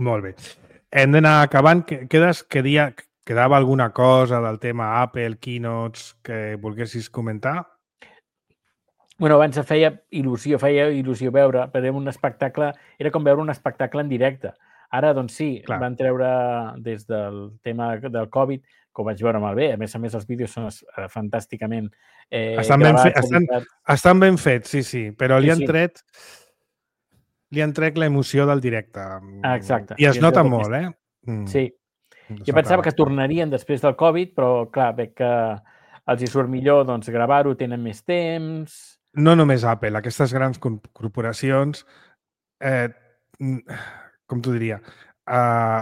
Molt bé. Hem d'anar acabant. Quedes, quedia, quedava alguna cosa del tema Apple, Keynotes, que volguessis comentar? Bueno, abans feia il·lusió, feia il·lusió veure, però un espectacle, era com veure un espectacle en directe. Ara, doncs sí, Clar. van treure des del tema del Covid, que ho vaig veure molt bé. A més a més, els vídeos són fantàsticament eh, estan gravats. Ben fe, estan, estan ben fets, sí, sí, però li sí, han sí. tret li han tret l'emoció del directe. Ah, exacte. I es I nota molt, eh? Mm. Sí. Jo pensava que tornarien després del Covid, però clar, veig que els hi surt millor doncs, gravar-ho, tenen més temps... No només Apple, aquestes grans corporacions, eh, com t'ho diria, eh,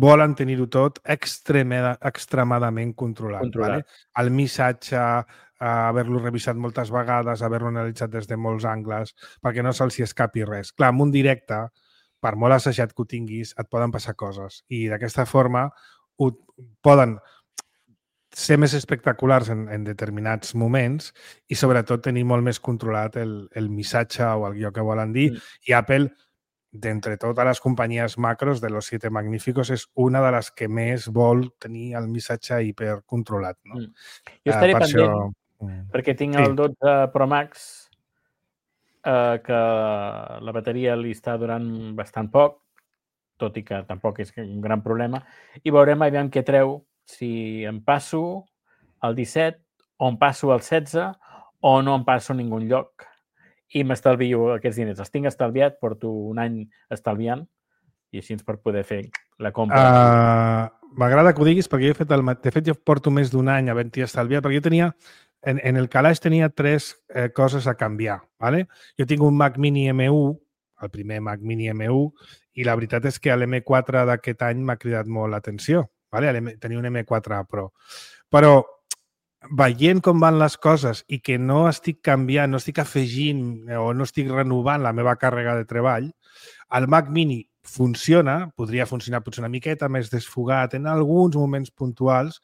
volen tenir-ho tot extremada, extremadament controlat. controlat. Vale? El missatge, eh, haver-lo revisat moltes vegades, haver-lo analitzat des de molts angles, perquè no se'ls escapi res. Clar, en un directe, per molt assajat que ho tinguis, et poden passar coses. I d'aquesta forma ho poden ser més espectaculars en, en determinats moments i sobretot tenir molt més controlat el, el missatge o el guió que volen dir. Mm. I Apple, d'entre totes les companyies macros de los siete magníficos, és una de les que més vol tenir el missatge hipercontrolat. No? Mm. Jo estaré uh, per pendent això... perquè tinc sí. el dotze Pro Max eh, que la bateria li està durant bastant poc, tot i que tampoc és un gran problema, i veurem aviam què treu, si em passo al disset o em passo al setze o no em passo a ningú lloc i m'estalvio aquests diners. Els tinc estalviat, porto un any estalviant i així per poder fer la compra. Uh, M'agrada que ho diguis perquè jo he fet el de fet jo porto més d'un any havent-hi estalviat perquè jo tenia, en, en el calaix tenia tres eh, coses a canviar. ¿vale? Jo tinc un Mac Mini M u, el primer Mac Mini M u, i la veritat és que l'M quatre d'aquest any m'ha cridat molt l'atenció. Vale? Tenia un M quatre Pro. Però veient com van les coses i que no estic canviant, no estic afegint o no estic renovant la meva càrrega de treball, el Mac Mini funciona, podria funcionar potser una miqueta més desfogat en alguns moments puntuals,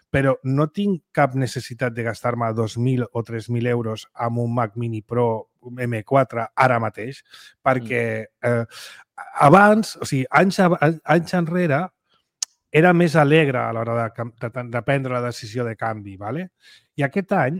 però no tinc cap necessitat de gastar-me dos mil o tres mil euros amb un Mac Mini Pro M quatre ara mateix, perquè eh, abans, o sigui, anys, anys enrere, era més alegre a l'hora de, de, de prendre la decisió de canvi. ¿vale? I aquest any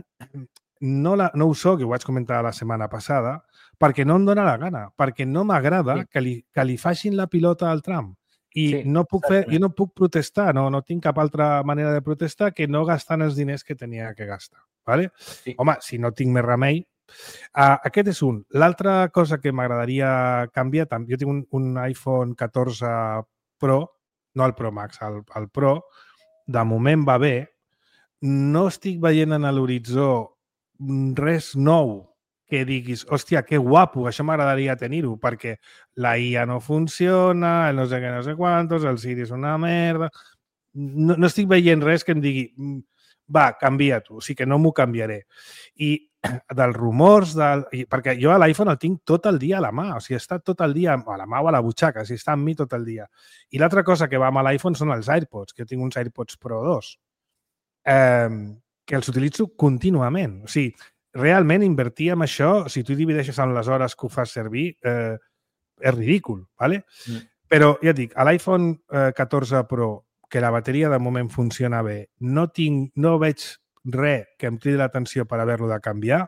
no, la, no ho soc, i ho vaig comentar la setmana passada, perquè no em dóna la gana, perquè no m'agrada sí. que, li, que li facin la pilota al tram. I sí, no puc fer, jo no puc protestar, no, no tinc cap altra manera de protestar que no gastant els diners que tenia que gastar. ¿vale? Sí. Home, si no tinc més remei... Uh, aquest és un. L'altra cosa que m'agradaria canviar, jo tinc un, un iPhone catorze Pro, no el Pro Max, el, el Pro, de moment va bé, no estic veient en l'horitzó res nou que diguis, hòstia, que guapo, això m'agradaria tenir-ho, perquè la I A no funciona, el no sé què, no sé quantos, el Siri és una merda... No, no estic veient res que em digui, va, canvia-t'ho, o sigui que no m'ho canviaré. I dels rumors, del... perquè jo a l'iPhone el tinc tot el dia a la mà, o sigui, està tot el dia a la mà o a la butxaca, o sigui, està amb mi tot el dia. I l'altra cosa que va amb l'iPhone són els AirPods, que jo tinc uns AirPods Pro dos, eh, que els utilitzo contínuament. O sigui, realment invertir en això, si tu divideixes en les hores que ho fas servir, eh, és ridícul, ¿vale? Mm. Però ja et dic, a l'iPhone eh, catorze Pro, que la bateria de moment funciona bé, no, tinc, no veig res que em cridi l'atenció per haver-lo de canviar,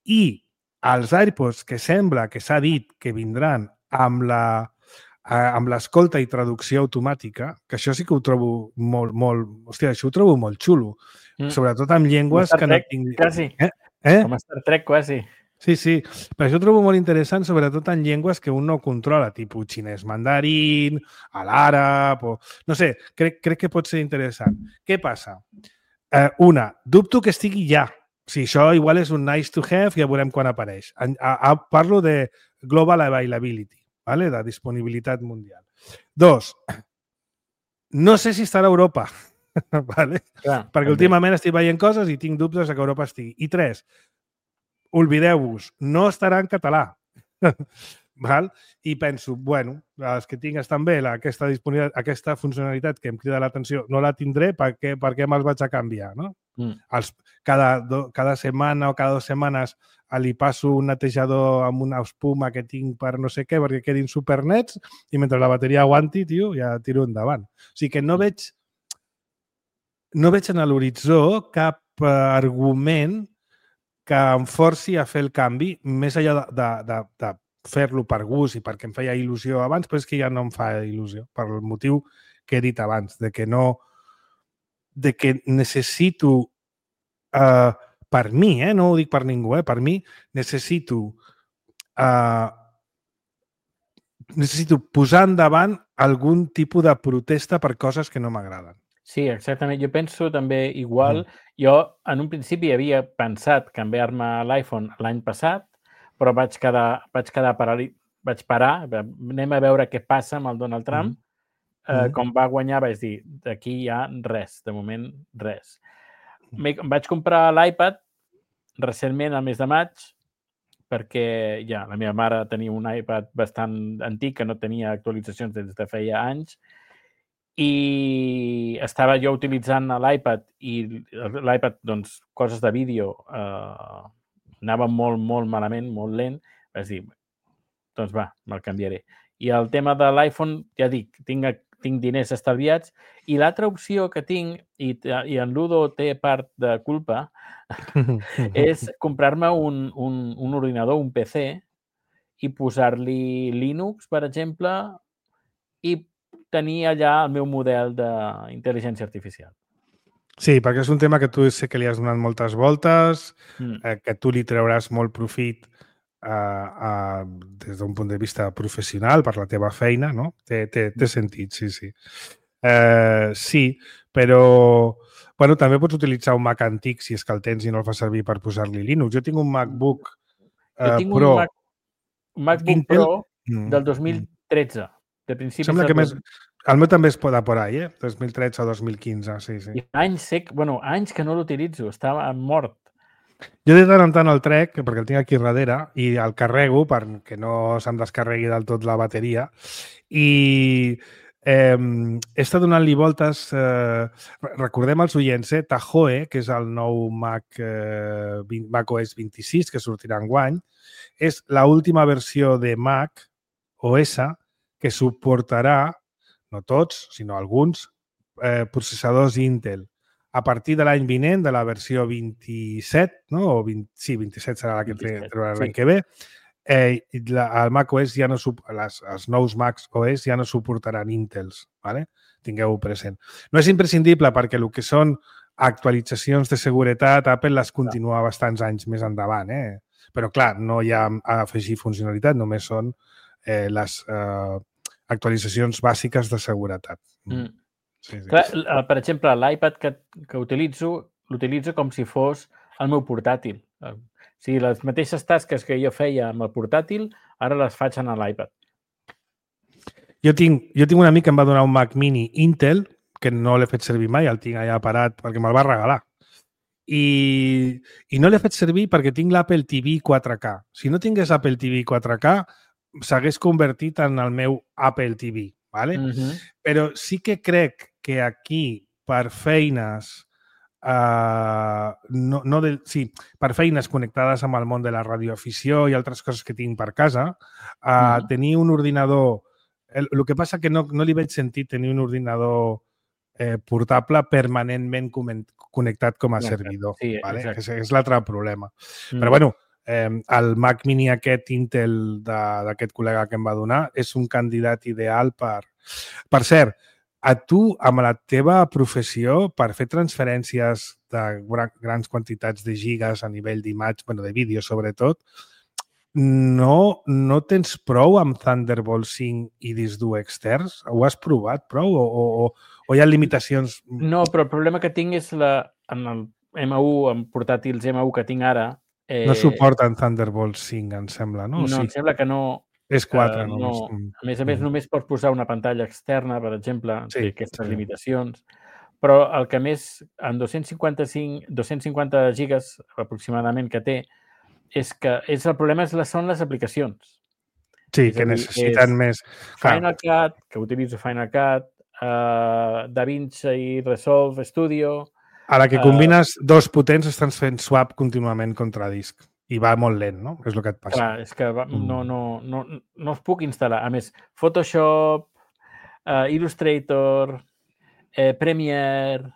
i els AirPods que sembla que s'ha dit que vindran amb la amb l'escolta i traducció automàtica, que això sí que ho trobo molt, molt... Hòstia, això ho trobo molt xulo. Mm. Sobretot amb llengües que no tinc... Quasi. Eh? Eh? Com a Star Trek, quasi. Sí, sí. Per això ho trobo molt interessant, sobretot en llengües que un no controla, tipus xinès mandarín, a l'àrab, o... No sé, crec, crec que pot ser interessant. Què passa? Eh, una, dubto que estigui ja. O sigui, això igual és un nice to have, ja veurem quan apareix. A, a, parlo de global availability, ¿vale? De disponibilitat mundial. Dos, no sé si estarà a Europa, ¿vale? Clar, perquè també. Últimament estic veient coses i tinc dubtes que a Europa estigui. I tres, oblideu-vos, no estarà en català. Val? I penso, bueno, els que tinc estan bé, la, aquesta, aquesta funcionalitat que em crida l'atenció, no la tindré, per què, per què me'ls vaig a canviar? No? Mm. Els, cada, do, cada setmana o cada dues setmanes li passo un netejador amb una espuma que tinc per no sé què, perquè quedin supernets, i mentre la bateria aguanti, tio, ja tiro endavant. O sigui que no veig, no veig en l'horitzó cap uh, argument que em forci a fer el canvi, més enllà de, de, de, de fer-lo per gust i perquè em feia il·lusió abans, però és que ja no em fa il·lusió, per el motiu que he dit abans, de que no... de que necessito, uh, per mi, eh, no ho dic per ningú, eh, per mi, necessito, uh, necessito posar endavant algun tipus de protesta per coses que no m'agraden. Sí, exactament. Jo penso també igual. Mm. Jo, en un principi, havia pensat canviar-me l'iPhone l'any passat, però vaig quedar, vaig quedar parar, vaig parar, anem a veure què passa amb el Donald Trump. Mm. Uh, com va guanyar, vaig dir, d'aquí hi ha res, de moment res. Em vaig comprar l'iPad recentment, al mes de maig, perquè ja la meva mare tenia un iPad bastant antic que no tenia actualitzacions des de feia anys i estava jo utilitzant l'iPad i l'iPad, doncs, coses de vídeo eh, anava molt, molt malament, molt lent. Vaig dir, doncs va, me'l canviaré. I el tema de l'iPhone, ja dic, tinc, tinc diners estalviats i l'altra opció que tinc, i, i en Ludo té part de culpa, és comprar-me un, un, un ordinador, un P C, i posar-li Linux, per exemple, i tenir allà el meu model d'intel·ligència artificial. Sí, perquè és un tema que tu sé que li has donat moltes voltes, mm. eh, que tu li trauràs molt profit uh, uh, des d'un punt de vista professional per la teva feina, no? Té, té, té sentit, sí, sí. Uh, sí, però bueno, també pots utilitzar un Mac antic si és que el tens i no el fas servir per posar-li Linux. Jo tinc un MacBook uh, jo tinc Pro. Un, Mac, un MacBook Intel... Pro del dos mil tretze. De principis Sembla que del... més... El meu també es pot por ahí, eh? dos mil tretze o dos mil quinze, sí, sí. I anys sec, bueno, anys que no l'utilitzo, estava mort. Jo de tant en tant el trec, perquè el tinc aquí darrere, i el carrego perquè no se'm descarregui del tot la bateria. I eh, he estat donant-li voltes... Eh, recordem als oients, eh? Tahoe, que és el nou Mac, eh, Mac O S vint-i-sis, que sortirà enguany, és l'última versió de Mac O S que suportarà, no tots, sinó alguns, eh, processadors Intel. A partir de l'any vinent, de la versió vint-i-set, no? O vint, sí, vint-i-set serà la que traurà l'any sí. que ve, eh, la, el Mac O S ja no, les, els nous Macs O S ja no suportaran Intels, ¿vale? Tingueu-ho present. No és imprescindible perquè el que són actualitzacions de seguretat, Apple les continua bastants anys més endavant, eh? Però clar, no hi ha a afegir funcionalitat, només són eh, les eh, actualitzacions bàsiques de seguretat. Mm. Sí, sí. Clar, per exemple, l'iPad que, que utilitzo, l'utilitzo com si fos el meu portàtil. O sigui, les mateixes tasques que jo feia amb el portàtil, ara les faig en l'iPad. Jo tinc, jo tinc un amic que em va donar un Mac Mini Intel, que no l'he fet servir mai, el tinc allà parat perquè me'l va regalar. i, i no l'he fet servir perquè tinc l'Apple T V quatre K. Si no tingués Apple T V quatre K, s'hagués convertit en el meu Apple T V, ¿vale? Mhm. Però sí que crec que aquí, per feines, uh, no, no de, sí, per feines connectades amb el món de la radioafició i altres coses que tinc per casa, uh, Mhm. tenir un ordinador... El, el que passa que no, no li veig sentit tenir un ordinador eh, portable permanentment comen- connectat com a Connectat, servidor. sí, ¿vale? exacte. És, és l'altre problema. Mm. Però bueno, eh, el Mac Mini aquest Intel de- d'aquest col·lega que em va donar és un candidat ideal per... Per cert, a tu, amb la teva professió, per fer transferències de gra- grans quantitats de gigas a nivell d'imatge, bueno, de vídeo sobretot, no, no tens prou amb Thunderbolt cinc i disc dur externs? Ho has provat prou o, o, o hi ha limitacions? No, però el problema que tinc és la, en el M u, en portàtils M u que tinc ara... Eh, No suporten Thunderbolt cinc, em sembla, no? No, Sí, em sembla que no... és quatre eh, només. no. Mm. A més a més, Mm. només pots posar una pantalla externa, per exemple, Sí, té aquestes sí. limitacions. Però el que més, en dos-cents cinquanta-cinc, dos-cents cinquanta gigas aproximadament que té, és que és el problema és les, són les aplicacions. Sí, És que a dir, necessiten és més... Clar, Final Cut, que utilitzo Final Cut, uh, DaVinci i Resolve Studio... a la que eh, combines dos potents estan fent swap contínuament contra disc i va molt lent, no? És el que et passa. Clar, és que va, Mm. no, no, no, no els puc instal·lar. A més, Photoshop, uh, Illustrator, eh, Premiere...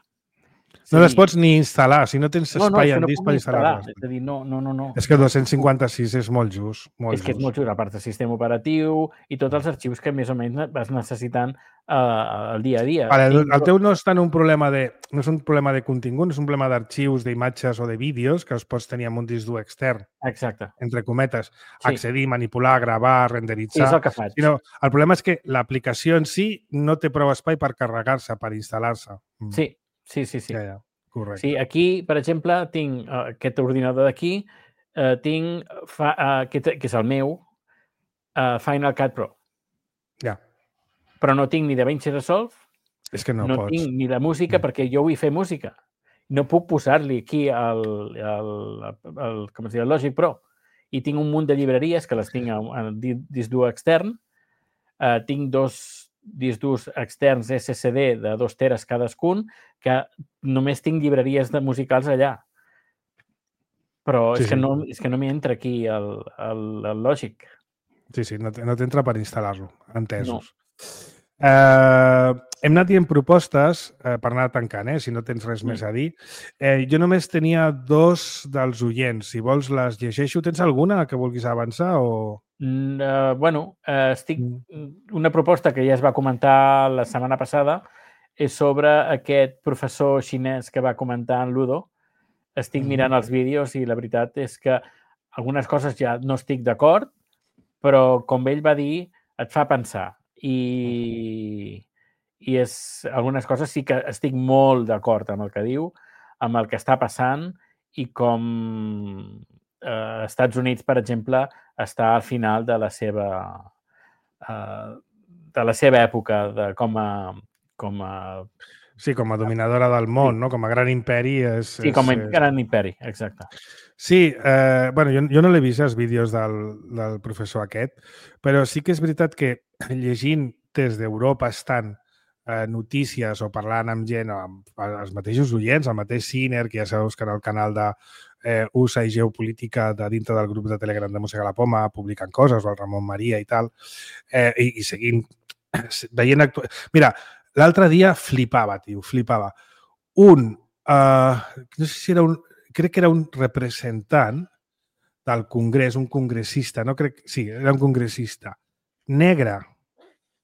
No les pots ni instal·lar, si no tens No, no, espai és que en no disc puc per ni instal·lar. instal·lar-les. És a dir, no, no, no. no. És que dos-cents cinquanta-sis és molt just. Molt És que és just. molt just, a part del sistema operatiu i tots els arxius que més o menys vas necessitant uh, el dia a dia. Vale, el, Tinc- el teu no és tant un problema de... No és un problema de contingut, és un problema d'arxius, d'imatges o de vídeos que els pots tenir amb un disc dur extern, Exacte. entre cometes, Sí. accedir, manipular, gravar, Sí, és renderitzar... el que faig. Sinó, el problema és que l'aplicació en si no té prou espai per carregar-se, per instal·lar-se. Mm. Sí, sí, sí. sí. Ja, ja. Correcte. Sí, aquí, per exemple, tinc uh, aquest ordinador d'aquí, uh, tinc, fa, uh, que, que és el meu, uh, Final Cut Pro. Ja. Però no tinc ni DaVinci Resolve, És que no, no, pots. tinc ni la música perquè jo vull fer música. No puc posar-li aquí el, el, el, com es diu, el Logic Pro. I tinc un munt de llibreries que les tinc en disc dur extern. Uh, tinc dos discs durs externs S S D de dos teres cadascun, que només tinc llibreries de musicals allà. Però Sí, és, que sí. no, és que no m'hi entra aquí el, el, el Logic. Sí, sí, no, t- no t'entra per instal·lar-lo. Entesos. No. Eh, hem anat dient propostes eh, per anar tancant, eh, si no tens res Mm. més a dir. Eh, jo només tenia dos dels oients. Si vols les llegeixo. Tens alguna que vulguis avançar o...? Mm, uh, bueno, uh, estic... Mm. Una proposta que ja es va comentar la setmana passada és sobre aquest professor xinès que va comentar en Ludo. Estic Mhm. mirant els vídeos i la veritat és que algunes coses ja no estic d'acord, però com ell va dir, et fa pensar. I, i és, algunes coses sí que estic molt d'acord amb el que diu, amb el que està passant i com eh, Estats Units, per exemple, està al final de la seva eh, de la seva època de, com a com a, Sí, com a dominadora del món, Sí. no? Com a gran imperi és... sí, com a és, és... gran imperi, exacte. Sí, eh, bueno, jo, jo no l'he vist els vídeos del, del professor aquest, però sí que és veritat que llegint des d'Europa estan eh, notícies o parlant amb gent, amb els mateixos oients, el mateix Ciner, que ja sabeu que en el canal de eh, U S A i Geopolítica de dintre del grup de Telegram de Mossega la Poma publiquen coses, o el Ramon Maria i tal, eh, i, i seguint, veient... Actu... Mira, l'altre dia flipava, tio, flipava. Un, eh, no sé si era un, crec que era un representant del Congrés, un congressista, no crec, sí, era un congressista, negre,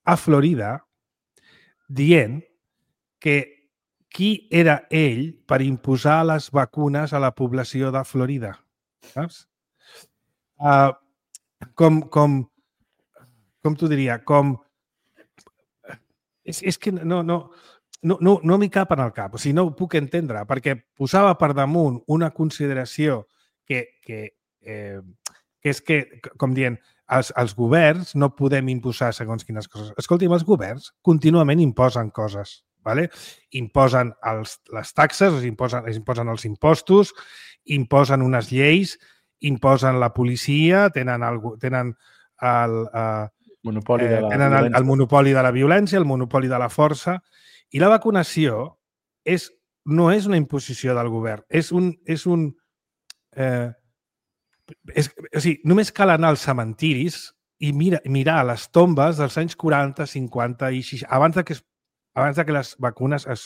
a Florida, dient que qui era ell per imposar les vacunes a la població de Florida. Saps? Uh, com, com, com t'ho diria? Com... És, és que no, no, no, no, no m'hi cap en el cap, o sigui, no ho puc entendre, perquè posava per damunt una consideració que, que, eh, que és que, com dient, els, els governs no podem imposar segons quines coses. Escolti'm, els governs contínuament imposen coses. ¿vale? Imposen els, les taxes, es imposen, es imposen els impostos, imposen unes lleis, imposen la policia, tenen el, tenen el, uh, monopoli de la eh, tenen el, violència. el monopoli de la violència, el monopoli de la força, i la vacunació és, no és una imposició del govern, és un... És un eh, és, o sigui, només cal anar als cementiris i mira, mirar les tombes dels anys quaranta, cinquanta i seixanta, abans de que, es, abans de que les vacunes es,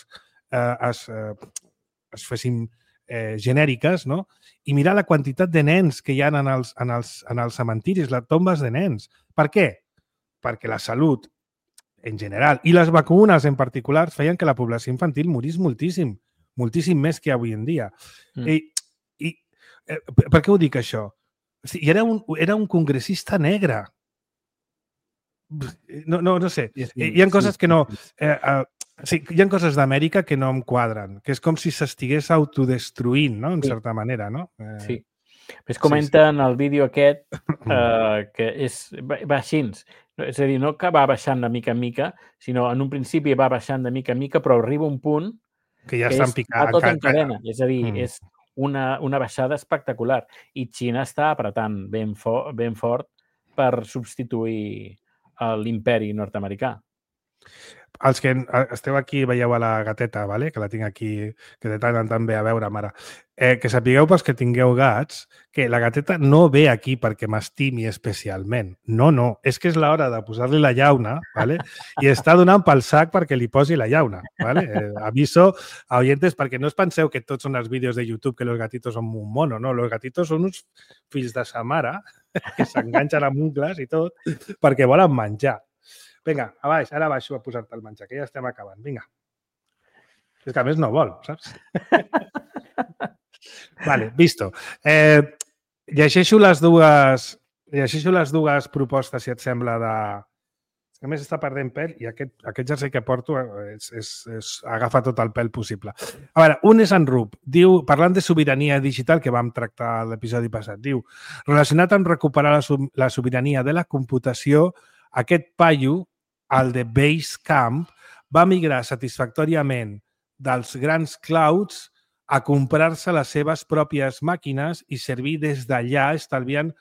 eh, es, eh, es fessin eh, genèriques, no? I mirar la quantitat de nens que hi ha en els, en els, en els cementiris, les tombes de nens. Per què? Perquè la salut, en general, i les vacunes en particular, feien que la població infantil morís moltíssim, moltíssim més que avui en dia. Mm. I, i eh, per què ho dic, això? O sigui, era, un, era un congressista negre. No, no, no sé. Sí, sí, hi ha coses sí, que no... Eh, eh, sí, hi ha coses d'Amèrica que no em quadren, que és com si s'estigués autodestruint, no? En sí. certa manera, no? Eh, sí. Es comenta sí, sí. en el vídeo aquest eh, que és, va, va així. És a dir, no que va baixant de mica en mica, sinó en un principi va baixant de mica en mica, però arriba un punt que ja estan picant. Tot en cadena. És a dir, mm. és una, una baixada espectacular. I Xina està apretant ben, for, ben fort per substituir l'imperi nord-americà. Els que esteu aquí, veieu a la gateta, vale? Que la tinc aquí, que de tant en tant ve a veure, mare. Eh, que sapigueu pels que tingueu gats que la gateta no ve aquí perquè m'estimi especialment. No, no. És que és l'hora de posar-li la llauna, vale? I està donant pel sac perquè li posi la llauna. Vale? Eh, aviso a oyentes perquè no us penseu que tots són els vídeos de YouTube que los gatitos són un mono, no? Los gatitos són uns fills de sa mare que s'enganxen amb ungles i tot perquè volen menjar. Vinga, a baix, ara baixo a posar-te el menjar, que ja estem acabant. Vinga. És que a més no vol, saps? Vale, visto. Eh, llegeixo les dues llegeixo les dues propostes, si et sembla, de... A més, està perdent pèl i aquest, aquest jersei que porto és, és, és, agafa tot el pèl possible. A veure, un és en Rup. Diu, parlant de sobirania digital, que vam tractar a l'episodi passat, diu, relacionat amb recuperar la, la sobirania de la computació, aquest paio, el de Basecamp, va migrar satisfactòriament dels grans clouds a comprar-se les seves pròpies màquines i servir des d'allà, estalviant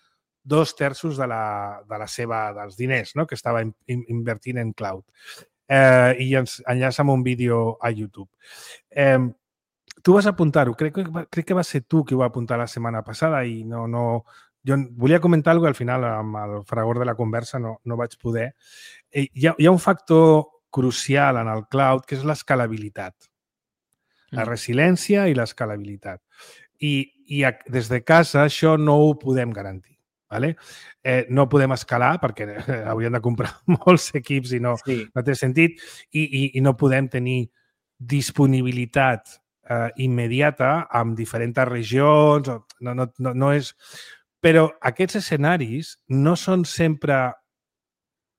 dos terços de la, de la seva, dels diners, no? Que estava in, in, invertint en cloud. Eh, I ens enllaça amb un vídeo a YouTube. Eh, tu vas apuntar-ho. Crec, crec que va ser tu qui ho va apuntar la setmana passada i no... no jo volia comentar alguna cosa, al final, amb el fragor de la conversa, no, no vaig poder. Eh, hi, ha, hi ha un factor crucial en el cloud, que és l'escalabilitat. La resiliència i l'escalabilitat. I, I des de casa això no ho podem garantir. Vale? Eh, no podem escalar perquè eh, hauríem de comprar molts equips i no, sí. no té sentit i, i, i no podem tenir disponibilitat eh, immediata amb diferents regions. No, no, no, no és... Però aquests escenaris no són sempre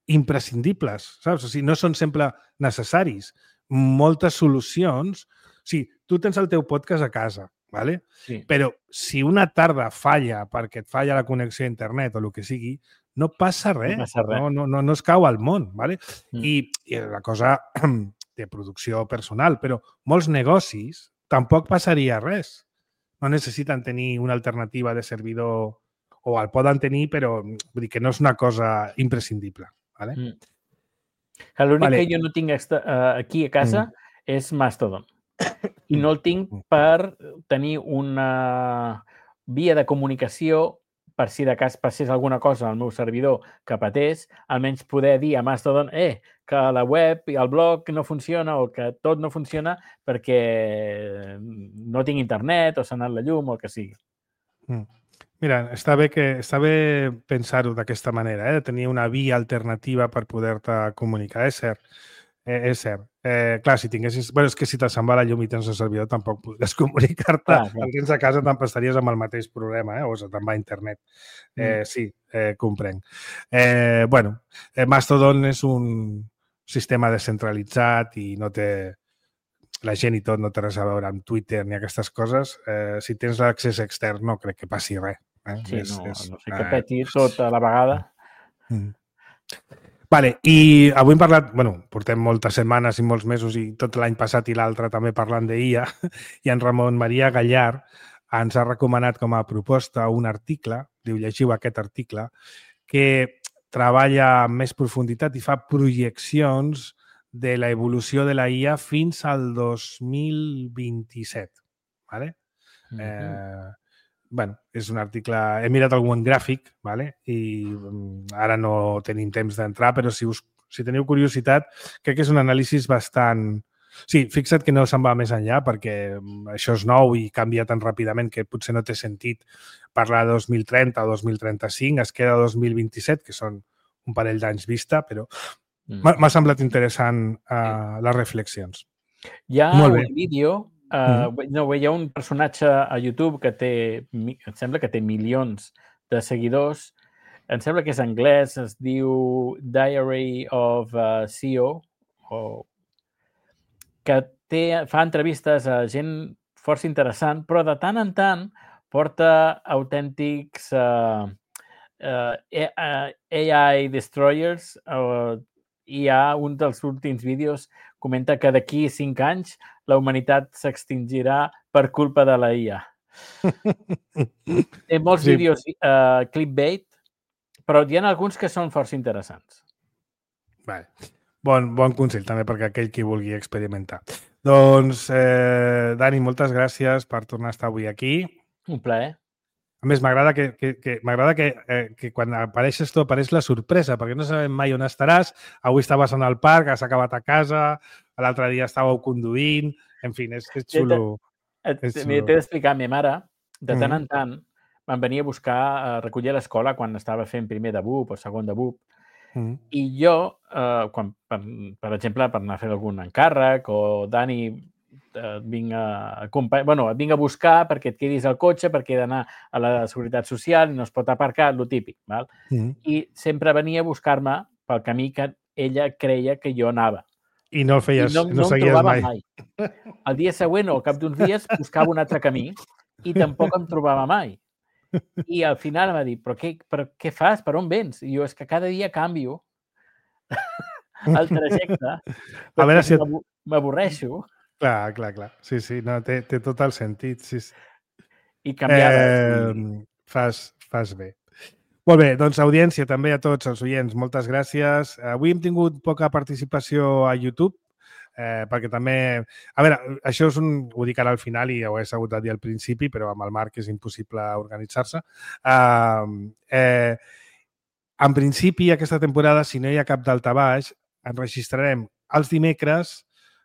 imprescindibles, saps? O sigui, no són sempre necessaris. Moltes solucions... O sigui, tu tens el teu podcast a casa, ¿vale? Sí. Però si una tarda falla perquè et falla la connexió a internet o el que sigui, no passa res. No, passa res. no, no, no, no es cau al món, ¿vale? Mm. I, I la cosa de producció personal, però molts negocis tampoc passaria res. No necessiten tenir una alternativa de servidor o el poden tenir, però vull dir que no és una cosa imprescindible. ¿Vale? Mm. L'únic vale. que jo no tinc aquí a casa mm. és Mastodon. I no el tinc per tenir una via de comunicació per si de cas passés alguna cosa al meu servidor que patés, almenys poder dir a Mastodon eh, que la web i el blog no funciona o que tot no funciona perquè no tinc internet o s'ha anat la llum o el que sigui. Mm. Mira, està bé, que, està bé pensar-ho d'aquesta manera, eh? De tenir una via alternativa per poder-te comunicar. És cert, eh, és cert. Eh, clar, si tinguessis... Bueno, és que si te se'n va la llum i tens el servidor tampoc podries comunicar-te. Ah, el tens a casa te'n estaries amb el mateix problema, eh? O se'n va a internet. Eh, mm. Sí, eh, comprenc. Eh, bueno, eh, Mastodon és un sistema descentralitzat i no té... La gent i tot no té res a veure amb Twitter ni aquestes coses. Eh, si tens l'accés extern no crec que passi res. Eh? Sí, és, no, és, no sé que peti tot a la vegada. Mm. Vale, i avui hem parlat, bueno, portem moltes setmanes i molts mesos i tot l'any passat i l'altre també parlant d'I A, i en Ramon Maria Gallar ens ha recomanat com a proposta un article, diu, llegiu aquest article, que treballa amb més profunditat i fa projeccions de l'evolució de la I A fins al dos mil vint-i-set. Vale? Mm-hmm. eh, bueno, és un article... He mirat algun gràfic, vale? I ara no tenim temps d'entrar, però si, us, si teniu curiositat, crec que és un anàlisi bastant... Sí, fixa't que no se'n va més enllà perquè això és nou i canvia tan ràpidament que potser no té sentit parlar de dos mil trenta o dos mil trenta-cinc, es queda dos mil vint-i-set, que són un parell d'anys vista, però m'ha mm. semblat interessant uh, les reflexions. Hi ha un vídeo, uh, mm. no, hi ha un personatge a YouTube que té, em sembla que té milions de seguidors, em sembla que és anglès, es diu Diary of a C E O, o que té, fa entrevistes a gent força interessant, però de tant en tant porta autèntics uh, uh, A I destroyers. Uh, hi ha un dels últims vídeos comenta que d'aquí cinc anys la humanitat s'extingirà per culpa de la I A. Té molts sí. vídeos uh, clickbait, però hi ha alguns que són força interessants. Vale. Bon, bon consell també perquè aquell qui vulgui experimentar. Doncs, eh, Dani, moltes gràcies per tornar a estar avui aquí. Un plaer. A més, m'agrada que, que, que, m'agrada que, eh, que quan apareixes tu apareix la sorpresa, perquè no sabem mai on estaràs. Avui estaves en el parc, has acabat a casa, l'altre dia estàveu conduint... En fi, és, és xulo. T'he d'explicar, a mi mare, de tant en tant, van venir a buscar, a recollir a l'escola quan estava fent primer de B U P o segon de B U P. Mm. I jo, eh, quan, per, per exemple, per anar a fer algun encàrrec o Dani, eh, vinc, a, bueno, vinc a buscar perquè et quedis al cotxe, perquè he d'anar a la Seguretat Social i no es pot aparcar, lo típic. Val? Mm. I sempre venia a buscar-me pel camí que ella creia que jo anava. I no el feies, I no, no, no seguies em trobava mai. mai. El dia següent o al cap d'uns dies buscava un altre camí i tampoc em trobava mai. I al final em va dir, però què, però què fas? Per on vens? I jo, és que cada dia canvio el trajecte a veure si et... m'avorreixo. Clar, clar, clar. Sí, sí, no, té, té tot el sentit. Sí, sí. I canviava. Eh, i... fas, fas bé. Molt bé, doncs audiència també a tots els oients, moltes gràcies. Avui hem tingut poca participació a YouTube, Eh, perquè també... A veure, això és un... Ho dic ara al final i ho he sabut a dir al principi, però amb el Marc és impossible organitzar-se. Uh, eh, en principi, aquesta temporada, si no hi ha cap daltabaix, enregistrarem els dimecres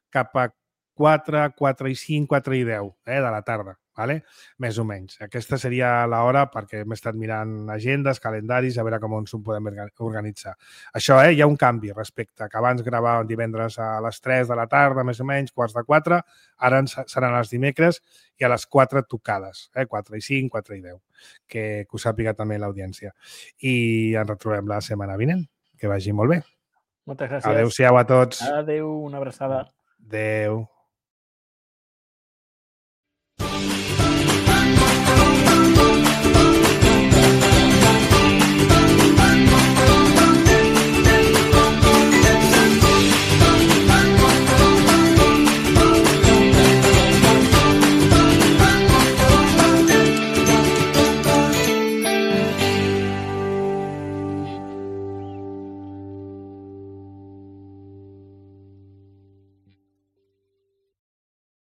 cap a quatre, quatre i cinc, quatre i deu eh, de la tarda, vale? Més o menys. Aquesta seria l'hora perquè hem estat mirant agendes, calendaris, a veure com ens ho podem organitzar. Això, eh, hi ha un canvi respecte que abans gravàvem divendres a les tres de la tarda, més o menys, quarts de quatre, ara seran els dimecres i a les quatre tocades, eh, quatre i cinc, quatre i deu, que, que ho sàpiga també l'audiència. I ens retrobem la setmana vinent. Que vagi molt bé. Moltes gràcies. Adéu-siau a tots. Adéu, una abraçada. Adéu.